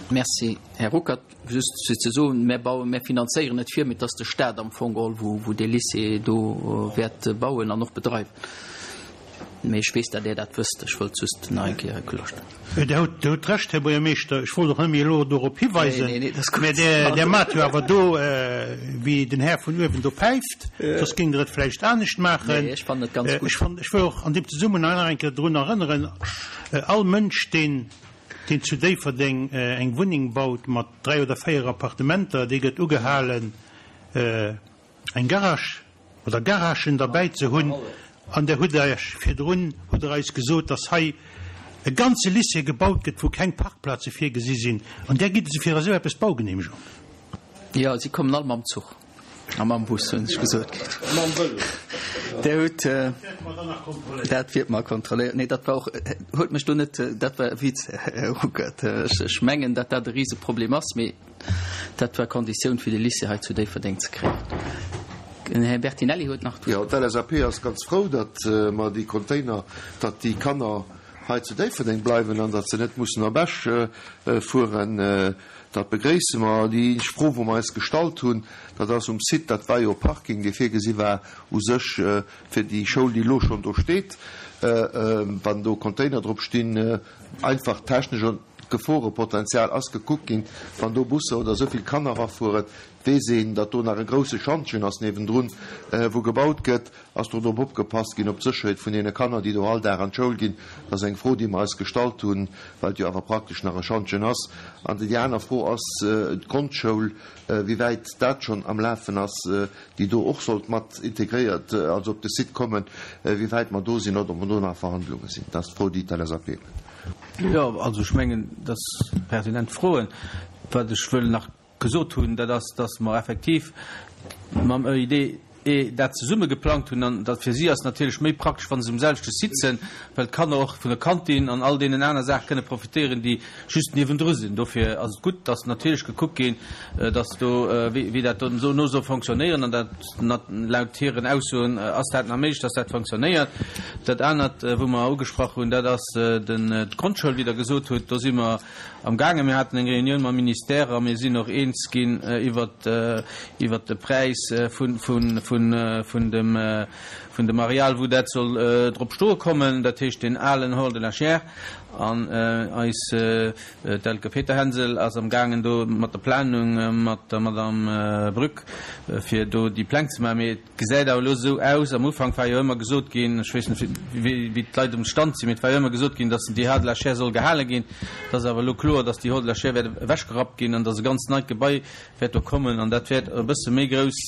Merci, Här Ruckert. Just fir ze soen, Mär bauen, mär finanzéieren net vir, mee et ass de Stat am Fong geholl, wou dee Lycée do wäert bauen an och bedreiwen. Mee ech weess, datt Där dat wësst. Ech wollt just nach eng Kéier kloerstellen. Dir hutt Recht, Här Buergermeeschter. Ech wollt och net méi elo dorop hiweisen. Mä Där maacht jo awer do, wéi den Här vun uewen do päift. Soss géingt Der et vläicht anescht maachen. Ech fannen et ganz gutt. Ech wëll och an deem Zesummenhang nach eng Kéier drun erënneren, All Mënsch, deen zu Déifferdeng eng Wunneng baut mat dräi oder véier Appartementer, dee gëtt ugehalen, eng Garage oder Garagen derbäi ze hunn, an Der hutt Iech virdrun, hutt Der eis gesot, dass hei e ganze Lycée gebaut gëtt, wou keng Parkplaze virgesi sinn, an där gitt se fir esou eppes d'Baugenehmegung. Jo, si kommen all mam Zuch a mam Bus, hunn ech gesot kritt. Mam Vëlo. Der hutt, dat wiert mer kontrolléiert. Nee, dat war och, huelt mech do net, dat war e Witz, Här Ruckert. Ech mengen, datt dat e Riseproblem ass, mee. Dat war Konditioun fir de Lycée hei zu Déifferdeng ze kréien. Den Här Bertinelli huet nach d'Wuert. Jo, d'LSAP ass ganz frou, datt mer déi Container, datt déi Kanner hei zu Déifferdeng bleiwen an datt se net mussen op Esch fueren. Dat begréisse mer. Déi eenzeg Fro, wou mer eis gestallt hunn, dat ass um Site, dat war jo e Parking, dee virgesi war u sech fir déi Schoul, déi elo schonn do steet, wann do Container drop stinn, einfach technesch und d'Geforepotenzial ass gekuckt ginn, wann do Busser oder esou vill Kanner erafueren, weess een, datt do nach e grousse Schantjen ass niewendrun, wou gebaut gëtt. Ass do drop opgepasst ginn, op d'Sécherheet vun deene Kanner, déi do all Dag an d'Schoul ginn? Dat ass eng Fro, déi mer eis gestallt hunn, well et jo awer praktesch nach e Schantjen ass. An déi aner Fro ass d'Grondschoul, wéi wäit dat schonn am Lafen ass, déi do och sollt mat integréiert, also op de Site kommen, wéi wäit mer do sinn oder ob mer do nach a Verhandlunge sinn. Dat ass d'Fro, déi d'LSAP huet. Jo, also ech mengen, dat si pertinent Froen. Wat ech wëll nach gesot hunn, dat ass, dass mer effektiv mam EID dat zesumme geplangt hunn an dat fir si ass natierlech méi praktesch, wa se um selwechte Site sinn, well d'Kanner och vun der Kantin an all deenen aner Saache kënne profitéieren, déi just niewendru sinn. Dofir ass et gutt, dass natierlech gekuckt ginn, dass do, wéi dat dono soll fonctionnéieren an dat laut hiren Aussoen ass dat nach méiglech, dass dat fonctionnéiert. Dat anert, wou mer ugesprach hunn, dat ass d'Grondschoul, wéi Der gesot hutt. Do si mer Am gaangen. Mir haten eng Reunioun mam Ministère a mir sinn och eens ginn iwwert iwwert de Präis vun vun vun vun dem vun dem Areal, wou dat soll drop stoe kommen, dat heescht deen alen Hall de la Chaire. An eis d'Elke Peterhänsel ass am gaangen do mat der Planung mat der Madame Brück fir do déi Pläng ze maachen. Mee Gesäit awer elo esou aus, am Ufank war jo ëmmer gesot ginn, ech weess net wéi d'Leit um Stand sinn, mee et war jo ëmmer gesot ginn, datt déi Hall de la Chaire soll gehale ginn. Et ass awer elo kloer, datt déi Hall de la Chaire wäert ewechgerappt ginn an datt e ganz neit Gebai wäert do kommen an dat wäert e bësse méi grouss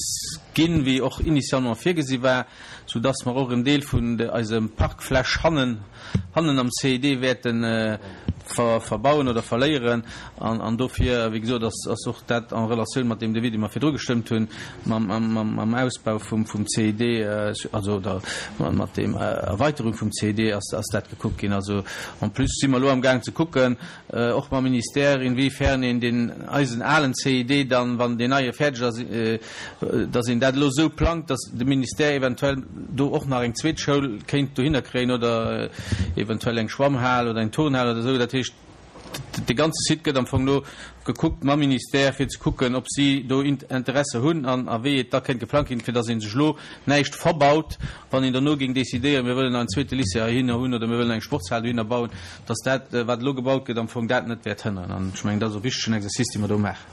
ginn, wéi och initialement virgesi war, soudatt mer och en Deel vun eisem Parkfläch hannen, hannen am CID wäerte verbauen oder verléieren. An dofir, wéi gesot, ass och dat en Relatioun mat deem Devis, dee mer virdru gestëmmt hunn, mam Ausbau vum CID, also oder mat deem Erweiterung vum CID ass dat gekuckt ginn. Also en plus si mer elo amgaang ze kucken, och mam Ministère, inwiefern een deen eisen alen CID dann, wann deen neie fäerdeg ass, dass een dat elo esou plangt, dass de Ministère eventuell do och nach eng zweet Schoul kéint dohinner kréien oder eventuell eng Schwammhal oder eng Turnhal oder esou. Dat heescht, de ganze Site gëtt am Fong elo gekuckt mam Ministère, fir ze kucken, ob si do Interesse hunn an a wéi et da kéint geplangt ginn, fir dass ee sech elo näischt verbaut, wann een derno géing decidéieren, mir wëllen en zweete Lycée heihinner hunn oder mir wëllen eng Sportshal dohinner bauen, dass dat, wat elo gebaut gëtt, am Fong dat net wäert hënneren. An ech mengen, dat ass e wichtegen Exercice, dee mer do maachen.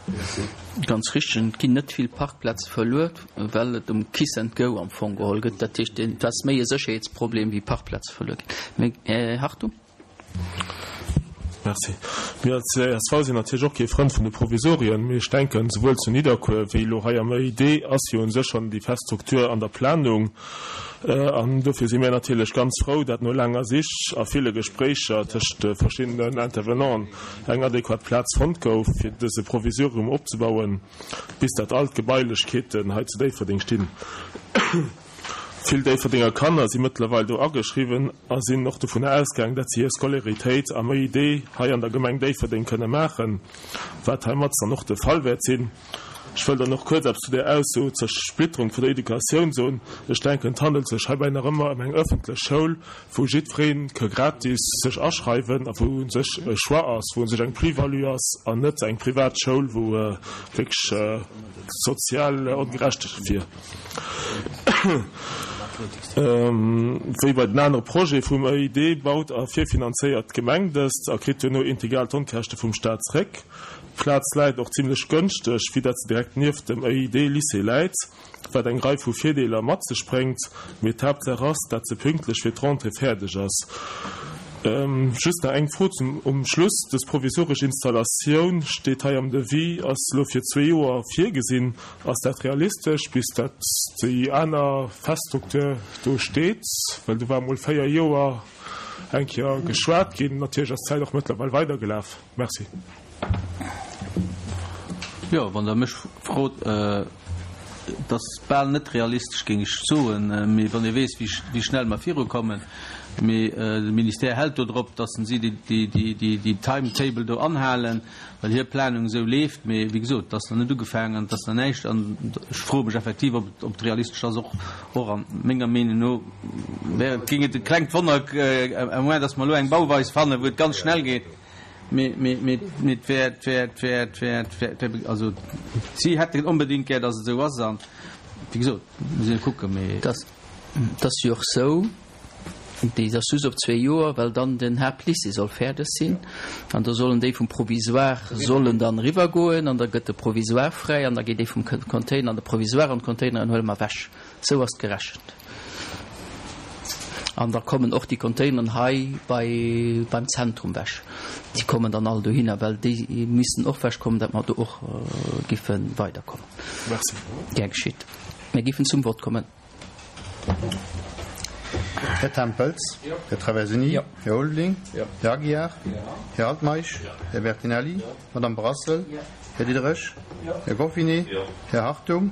Ganz richteg, et ginn net vill Parkplaze verluer, well et um Kiss and Go am Fong geholl gëtt. Dat heescht, et ass méi e Sécherheetsproblem wéi Parkplaze verluer ginn. Här Hartung. Merci. Mir als csv sinn natierlech och kee Frënd vun de Provisorien, mee ech denken, souwuel zu Nidderkuer wéi elo hei am EID ass jo u sech schonn déi fest Struktur an der Planung. An dofir si mir natierlech ganz frou, dat no laanger Sich a ville Gespréicher tëscht de verschiddenen Intervenanten eng adequat Plaz fonnt gouf, fir dëse Provisorium opzebauen, bis dat all d'Gebailechkeeten hei zu Déifferdeng stinn. Vill Déifferdenger Kanner si mëttlerweil do ageschriwwen a sinn och dovunner ausgaang, dat si hir Scolaritéit am EID hei an der Gemeng Déifferdeng kënne maachen, wat heimat dann och de Fall wäert sinn. Ech wëll dann och kuerz eppes zu där Ausso zur Splitterung vun der Educatioun soen. Ech denken, et handelt sech heibäi nach ëmmer ëm eng ëffentlech Schoul, wou jiddweree ka gratis sech aschreiwen a wou u sech e Choix ass, wou u sech eng Plus-value ass an net eng privat Schoul, wou wierklech sozial ongerechtegkeet wier. Wéi bei den anere Projete vum EID baut a virfinanzéiert d'Gemeng dëst a kritt duerno integral d'Onkäschte vum Staat zréck. D'Plaz läit och zimlech gënschteg, vue dat se direkt nieft dem EID-Lycée läit, wat eng Rei vu Virdeeler mat sech bréngt, mee d'Haaptsaach ass, dat se pünktlech fir d'Rentrée fäerdeg ass. Just nach eng Fro zum um Schluss, Dës provisoresch Installatioun, steet hei am Devis, ass elo fir zwee Joer virgesinn. Ass dat realistesch, bis dat déi aner fest Struktur do steet? Well do war mol 4 Joer eng Kéier geschwat ginn. Natierlech ass d'Zäit och mëttlerweil weidergelaf. Merci. Jo, wann Der mech frot, et ass bal net realistesch, géing ech soen. Mee wann ee weess, wéi schnell mer virukommen. Mee de Ministère hält do drop, dass si déi Timetable do anhalen, well hir Planung esou leeft. Mee wéi gesot, et ass nach net ugefaangen an et ass nach näischt. An ech froe mech effektiv, ob et realistesch ass. Och och a menger Meenung no wär et, géing et e klengt Wonner, à moins dass mer elo eng Bauweis fannen, wou et ganz schnell geet. Mee et wär, et wär, et wär, et wär, et wär, also si hätten onbedéngt gär, dass et esou ass. An wéi gesot, muss een kucken. Mee. Et ass jo och esou, déi ass just op zwee Joer, well dann den Haaptlycée soll fäerdeg sinn an da sollen déi vum Provisoire sollen dann eriwwergoen an da gëtt de Provisoire fräi an da geet dee vum Container an de Provisoire an d'Containeren huele mer ewech. Esou ass et gerechent. An da kommen och déi Containeren hei bei beim Zentrum ewech. Déi kommen dann all dohinner, well déi missten och ewechkommen, datt mer do och giffe weiderkommen. Merci. Gär geschitt. Mir giffen zum Vott kommen. Här Tempels, Här Traversini, Här Ulveling, Här Aguiar, Här Altmeisch, Här Bertinelli, Madame Brassel, Här Diderich, Här Goffinet, Här Hartung,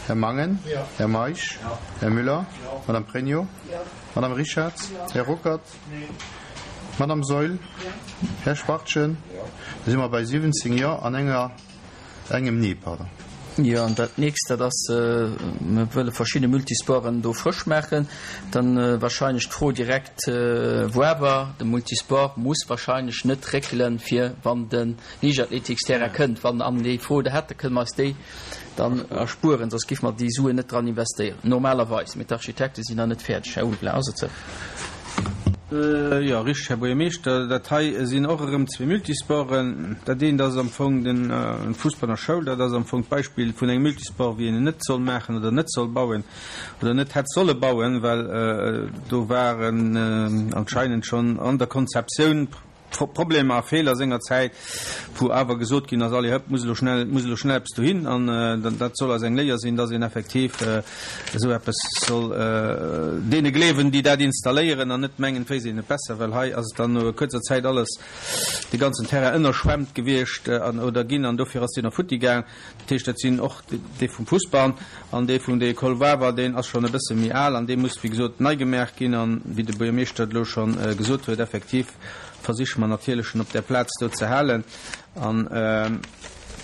Här Mangen, Här Meisch, Här Müller, Madame Pregno, Madame Richarz, Här Ruckert, Madame Saeul, Här Schwachtgen. Da si mer bei 17 Jo an enger. Engem Nee, pardon. Jo, an dat nächst, dat ass, mir wëlle verschidde Multisporten do frësch maachen. Dann wahrscheinlech d'Fro direkt, Woawer, de Multisport muss wahrscheinlech net réckelen, fir wann de Liichtathletiksterrain kënnt. Wann an déi Fro der hätt, da kënne mer eis déi dann erspueren, soss géife mer déi Suen net dran investéieren, normalerweis. Mee d'Architekte sinn nach net fäerdeg. Här Ulveling, ass et sou? Jo, richteg, Här Buergermeeschter. Dat hei sinn och erëm zwee Multisporten. Dat eent ass am Fong de Fussball an der Schoul. Dat ass am Fong d'Beispill vun engem Multisport, wéi een en net soll maachen oder net soll bauen oder net hätt solle bauen, well do waren anscheinend schonn an der Konzeptioun Problemer a Feeler sengerzäit, wou awer gesot ginn ass, allez hëpp, muss elo schnell, muss elo schnell eppes dohin. An dat soll eis eng Léier sinn, dass een effektiv esou eppes soll deene gleewen, déi dat installéieren, an net mengen, et wéisst een et besser, well hei ass et dann no kuerzer Zäit alles, de ganzen Terrain ënnerschwemmt gewiescht an oder ginn, an dofir ass deen och futti gaang. Dat heescht, dat sinn och dee vum Fussball an dee vun der École Wawer, deen ass schonn e bësse méi al an dee muss, wéi gesot, nei gemaach ginn. An, wéi de Buergermeeschter et elo scho gesot huet, effektiv versiche mer natierlech, en op där Plaz do ze halen. An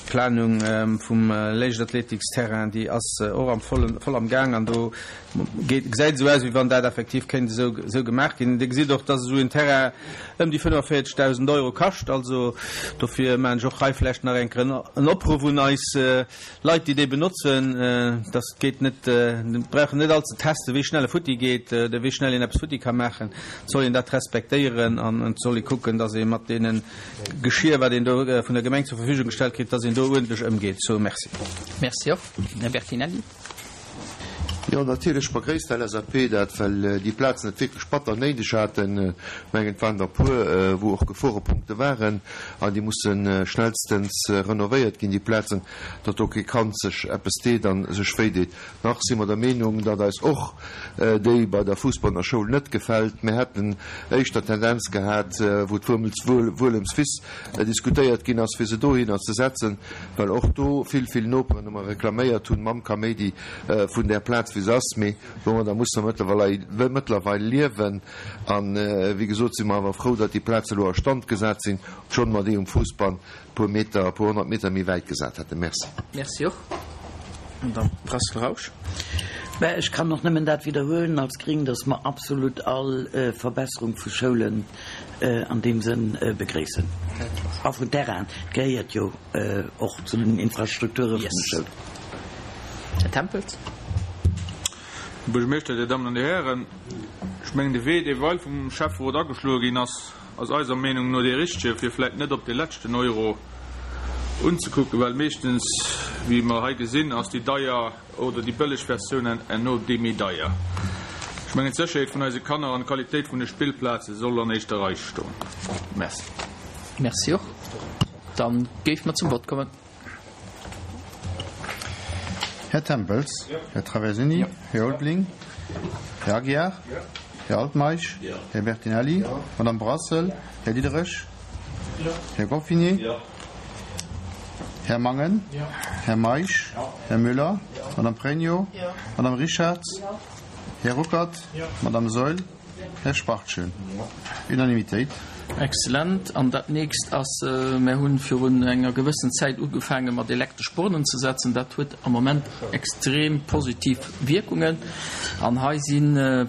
d'Planung vum Léichtathletiksterrain, déi ass och am vollen, voll am Gaang an do geet, gesäit esou aus, wéi wann dat effektiv kéint esou, esou gemaach ginn. Dir gesitt och, dass esou en Terrain ëm déi 45.000 Euro kascht. Also dofir maachen ech och hei vläicht nach eng Kéier en Opruff un eis Leit, déi dee benotzen, dass et geet net, mir brauchen net all ze testen, wéi schnell e futti geet oder wéi schnell een eppes futti ka maachen. Et soll een dat respektéieren an et soll ee kucken, dass ee mat deene Geschir, wat een do vun der Gemeng zur Verfügung gestallt kritt, dass een do uerdentlech ëmgeet. Sou, merci. Merci och. Här Bertinelli. Jo, natierlech begréisst d'LSAP dat, well déi Plazen et wierklech batter néideg haten. Ech mengen, et waren der e puer, wou och Geforepunkte waren, an déi musse schnellstens renovéiert ginn, déi Plazen, datt do kee Kand sech eppes deet a sech wéideet. Nach si mer der Meenung, datt eis och déi bei der Fussball Schoul net gefält. Mir hätten éischter d'Tendenz gehat, wou d'Wuelemswiss diskutéiert ginn ass, fir se dohinner ze setzen, well och do vill, vill Noperen ëmmer reklaméiert hunn mam Kaméidi vun där Plaz, wéi se ass. Mee domadder musse mer mëttlerweil liewen. A wéi gesot si mer awer frou, datt déi Plaze elo a Stand gesat sinn, obschonn mer déi um Fuussbann e puer Meter, e puer 100 Meter méi wäit gesat hätten. Merci. Merci och. Madamm Brassel-Rausch. Mä ech kann och nëmmen dat widderhuelen als Gring, datt mer absolut all Verbesserung vu Schoulen an deem Sënn begréissen. A vun Terrainen, et gehéiert jo och zu den Infrastrukture vun de Schoulen. Här Tempels. Här Buergermeeschter, Dir Dammen an Dir Hären, ech mengen, de Wee, dee weil vum Schäfferot ageschloe ginn ass, ass eiser Meenung no dee richtege, fir vläicht net op dee leschten Euro unzekucken, well meeschtens, wéi mer hei gesinn, ass déi deier oder déi bëlleg Versioun herno déi méi deier. Ech mengen, d'Sécherheet vun eise Kanner an d'Qualitéit vun de Spillplaze soll an éischter Rei stoen. Merci. Merci och. Da géife mer zum Vott kommen. Här Tempels, Här Traversini, Här Ulveling, Här Aguiar, Här Altmeisch, Här Bertinelli, Madame Brassel, Här Diderich, Här Goffinet, Här Mangen, Här Meisch, Här Müller, Madame Pregno, Madame Richarz, Här Ruckert, Madame Saeul. Här Spartchen. Unanimitéit. Exzellent. An dat nächst ass, Mär hu virun enger gewëssen Zäit ugefaange mat elektresch Bornen ze setzen. Dat huet am Moment extrem positiv Wierkungen. An hei si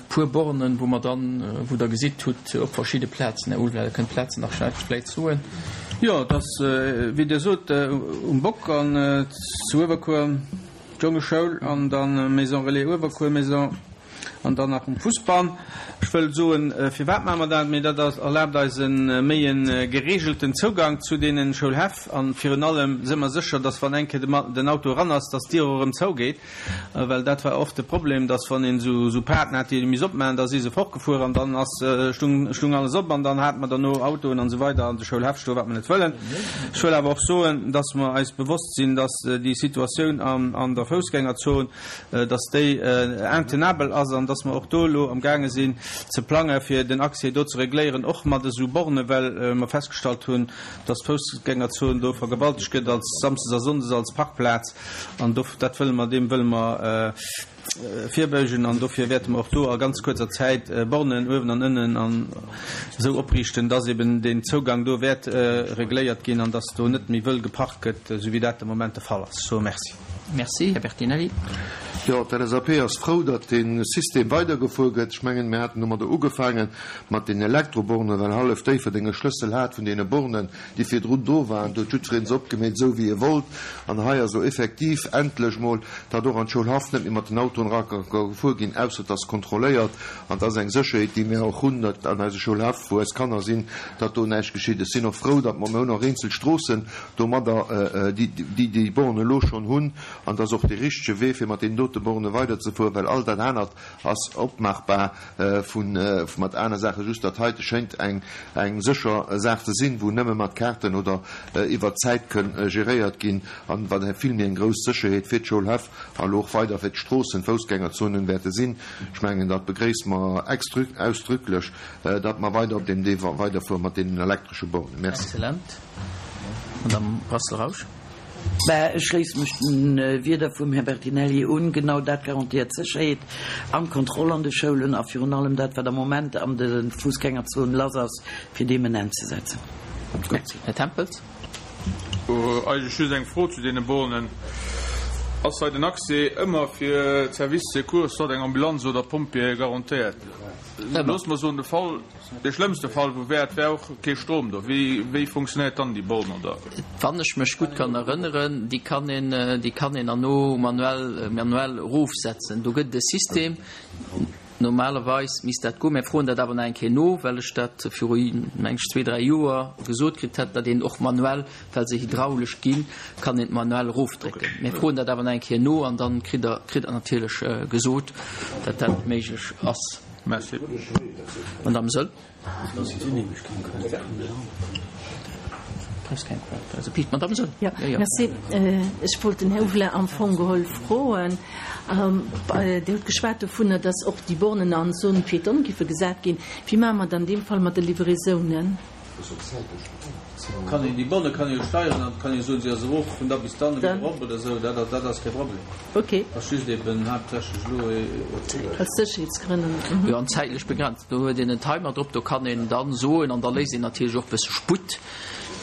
puer Bornen, wou mer dann, wou Der gesitt hutt, op verschidde Plazen, Här Ulveler, Der kënnt d'Plazen nach vläicht soen. Jo, et ass, wéi Dir sot, um Bock an zu Uewerkuer, d'Jongeschoul an dann Maison Relais Uewerkuer, Maison An dann nach um Fussball. Ech wëll soen, firwat maache mer dat? Mee dat erlaabt eis e méi e geregelten Zougang zu deene Schoulhäff. A virun allem si mer sécher, dass wann eng Kéier den Auto eran ass, dass d'Dier och erëm zougeet. Well dat war oft de Problem, dass wann een esou Paarten hat, déi ee misst opmaachen, da si se fortgefuer an dann ass, stung, stung alles op an dann hate mer derno Autoen an esou weider an de Schoulhäff stoen, wat mer net wëllen. Ech wëll awer och soen, dass mer eis bewosst sinn, dass déi Situatioun an der Foussgängerzon, dass déi intenabel ass an dass mer och do elo amgaange sinn ze plange fir den Accès do ze regléieren, och mat esou Bornen, well mer festgestallt hunn, dass d'Foussgängerzon do vergewaltegt gëtt als samsdes a sonndes als Parkplaz an do dat wëlle mer, deem wëlle mer virbeugen an dofir wäerte mer och do a ganz kuerzer Zäit Bornen uewen an ënnen an esou opriichten, dass eben deen Zougang do wäert regléiert ginn an dass do net méi wëll geparkt gëtt, esou wéi dat de Moment de Fall ass. Ech soe Merci. Merci, Här Bertinelli. Jo, d'LSAP ass frou, datt dee System weidergefuer gëtt. Ech mengen, mir haten domadder ugefaange mat den Elektrobornen, well hallef Déifferdeng e Schlëssel hat vun deene Bornen, déi virdrun do waren. Do huet jiddweree se opgemeet, esou wéi e wollt. An hei ass elo effektiv endlech emol, datt och an d'Schoulhaff net méi mat den Autoen era ka gefuer ginn, ausser et ass kontrolléiert. An et ass eng Sécherheet, déi mir och hunn, datt an eise Schoulhäff, wou eis Kanner sinn, datt do näischt geschitt. Ech sinn och frou, datt mer, mir hunn och eenzel Stroossen, domadder déi déi Borne elo schonn hunn, an et ass och dee richtege Wee fir mat deenen dote Borne weiderzefueren, well all dat anert ass opmaachbar vu mat aner Saachen. Just dat heite schéngt eng eng sécher Saach ze sinn, wou nëmme mat Kaarten oder iwwert d'Zäit kënn geréiert ginn, an wat vill méi eng grouss Sécherheet fir d'Schoulhäff a elo och weider fir d'Stroossen, d'Foussgängerzonen wäerte sinn. Ech mengen, dat begréisse mer ausdrücklech, datt mer weider op deem Wee weiderfuere mat deenen elektresche Bornen. Merci. Excellent. Madame Brassel-Rausch. Mä ech schléisse mech de Wierder vum Här Bertinelli un. Genau dat garantéiert d'Sécherheet an d'Kontroll an de Schoulen a virun allem dat, wat am Moment an de Fussgängerzonen lass ass, fir deem en Enn ze setzen. Merci. Här Tempels. Eigentlech just eng Fro zu deene Bornen. Ass hei den Accès ëmmer fir d'Services Secours, soit eng Ambulanz oder Pompjeeë garantéiert? Loosse mer soen, de Fall, Dee schlëmmste Fall wou wär, et wär och kee Strom do. Wéi, wéi funktionéiert dann déi Born oder? Wann ech mech gutt kann erënneren, déi kann een, déi kann een erno manuell, manuell erofsetzen. Do gëtt et e System. Normalerweis misst dat goen. Mir froen dat awer nach eng Kéier no, well ech dat viru, meng ech, zwee, dräi Joer gesot kritt hat, datt een och manuell, well se hydraulesch ginn, kann een manuell erofdrécken. Mir froen dat awer nach eng Kéier no an dann kritt Der, kritt Der natierlech gesot, datt dat méiglech ass. Merci. Madame Söll. Madame Söll. Ja, merci. Ech wollt den Här Huvelin am Fong geholl froen, Dir hutt geschwat dovunner, dass och déi Bornen an Zone piétonne giffe gesat ginn. Wéi maache mer et an deem Fall mat de Livraisonen? Kann een déi Bonne kann ee jo steieren an kann ee soen, si ass erof vun da bis dann a wieder erop oder esou. Dat dat ass kee Problem. Ok. Ass just eben haaptsächlech elo ee. Aus Sécherheetsgrënnen. Jo, an zäitlech begrenzt. Do huet een en Timer drop, do kann een dann soen, an da léisst een natierlech och e bësse Sputt,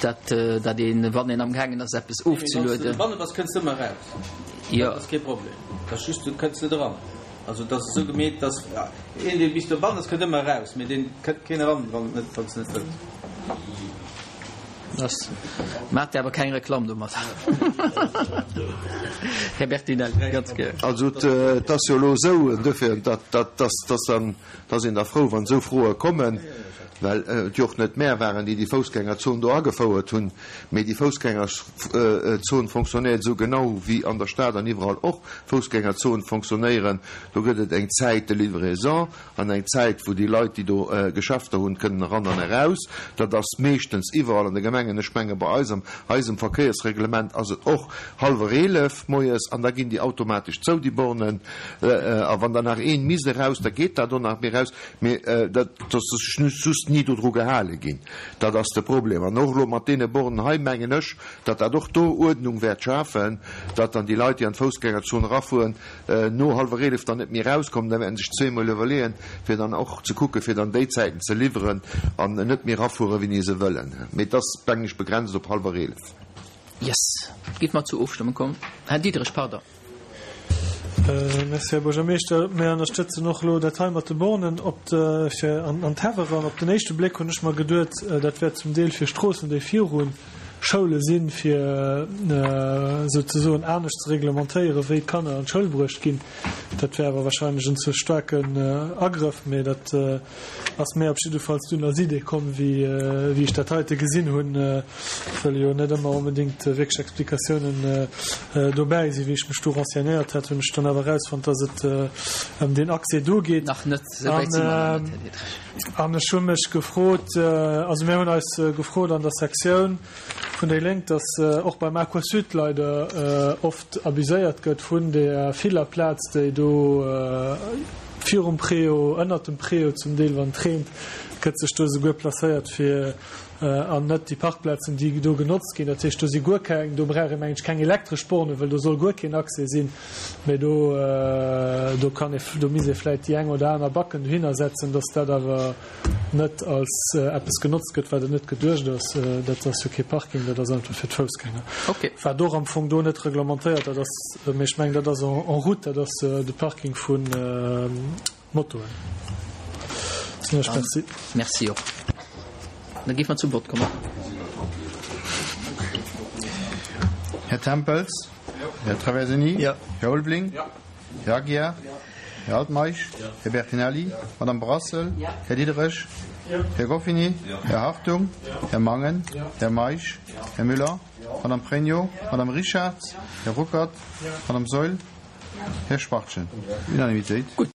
dat dat een, wann een amgaangen ass eppes ofzelueden. Wann s de dobanne bass, kënns de ëmmer eraus. Jo. Dat ass kee Problem. Dat ass just, du kënns net eran. Also et ass esou gemeet, dass een, dee bis dobannen ass, kënnt ëmmer eraus, mee deen kënnt keen eran, wann et net, wann s net wëllt. Dass maacht Dir awer keng Reklamm domat, Här Bertinelli, ganz gär. Also et ass jo elo esou, duerfir, datt, datt, dass dann, dass een da frou, wann esou Froe kommen, well et jo och net mär waren, déi déi Foussgängerzon do agefouert hunn, mee déi Foussgängerzon fonctionnéiert esou genau wéi an der Stad an iwwerall och Foussgängerzonen fonctionnéieren. Do gëtt et eng Zäit de livraison an eng Zäit, wou déi Leit, déi do Geschäfter hunn, kënnen eran an eraus. Dat ass meeschtens iwwerall an de Gemengen. Ech menge bei eis am eisem Verkéiersreglement ass et och hallwer 11 moies an da ginn déi automatesch zou, déi Bornen. A wann dann nach een misst eraus, da geet dat och nach méi eraus. Mee dat ass just. ni dodru gehale ginn. Dat ass de Problem. An och elo mat deene Bornen hei mengen ech, datt dat och do Uerdnung wäert schafen, datt dann déi Leit, déi an d'Foussgängerzon erafueren, no hallwer 11 dann net méi erauskommen. Da wäerten sech zweemol iwwerleeën, fir dann och ze kucken, fir dann déi Zäiten ze liwweren an net méi erafueren, wéini se wëllen. Mee et ass, mengen ech, begrenzt op hallwer 11. Yes. Giff mer zur Ofstëmmung kommen. Här Diderich, pardon. Merci, Här Buergermeeschter. Mir ënnerstëtzen och elo dat hei mat de Bornen op de, fir an an d'Häff eran. Op den éischte Bléck hunn ech mer geduet, dat wär zum Deel fir Stroossen, déi viru Schoule sinn, fir souzesoen anescht ze reglementéieren, wéi d'Kanner an d'Schoul bruecht ginn. Dat wär awer wahrscheinlech en ze staarken Agrëff, mee dat ass mär op jiddefalls dunn als Idee komm, wéi wéi ech dat heite gesinn hunn, well jo net ëmmer onbedéngt wierklech Explikatiounen dobäi sinn. Wéi ech mech do renseignéiert hat, hunn ech dann awer erausfonnt, dass et ëm deen Accès do geet. Nach net, esou wäit si mer nach net, Här Diderich. An ech hu mech gefrot, also mir hunn eis gefrot an der Sektioun vun déi Lénk, dass och beim Aquasud leider oft abuséiert gëtt vun där viller Plaz, déi do virum Préau, ënnert dem Préau zum Deel, wann et reent, gëtt sech do esouguer placéiert fir, an net déi Parkplazen, déi do genotzt ginn. Dat heescht, do si guer keng, do brauch ee mengen ech keng elektresch Bornen, well do soll guer keen Accès sinn. Mä do, do kann ee, do misst ee vläicht déi eng oder aner Backen dohinner setzen, dass dat awer net als eppes genotzt gëtt, wat et net geduecht ass. Dat ass jo kee Parking, dat ass einfach fir d'Foussgänger. Wat och am Fong do net reglementéiert, dat ass, mä ech mengen, dat ass en route, dat ass de Parking vu Motoen. Merci. Merci och. Da géife mer zum Vott kommen. Här Tempels? Här Traversini? Här Ulveling? Här Aguiar? Här Altmeisch? Här Bertinelli? Madame Brassel? Här Diderich? Här Goffini? Här Hartung? Här Mangen? Här Meisch? Här Müller? Madame Pregno? Madame Richard? Här Ruckert? Madame Saeul? Här Schwachtgen? Unanimitéit. Gutt.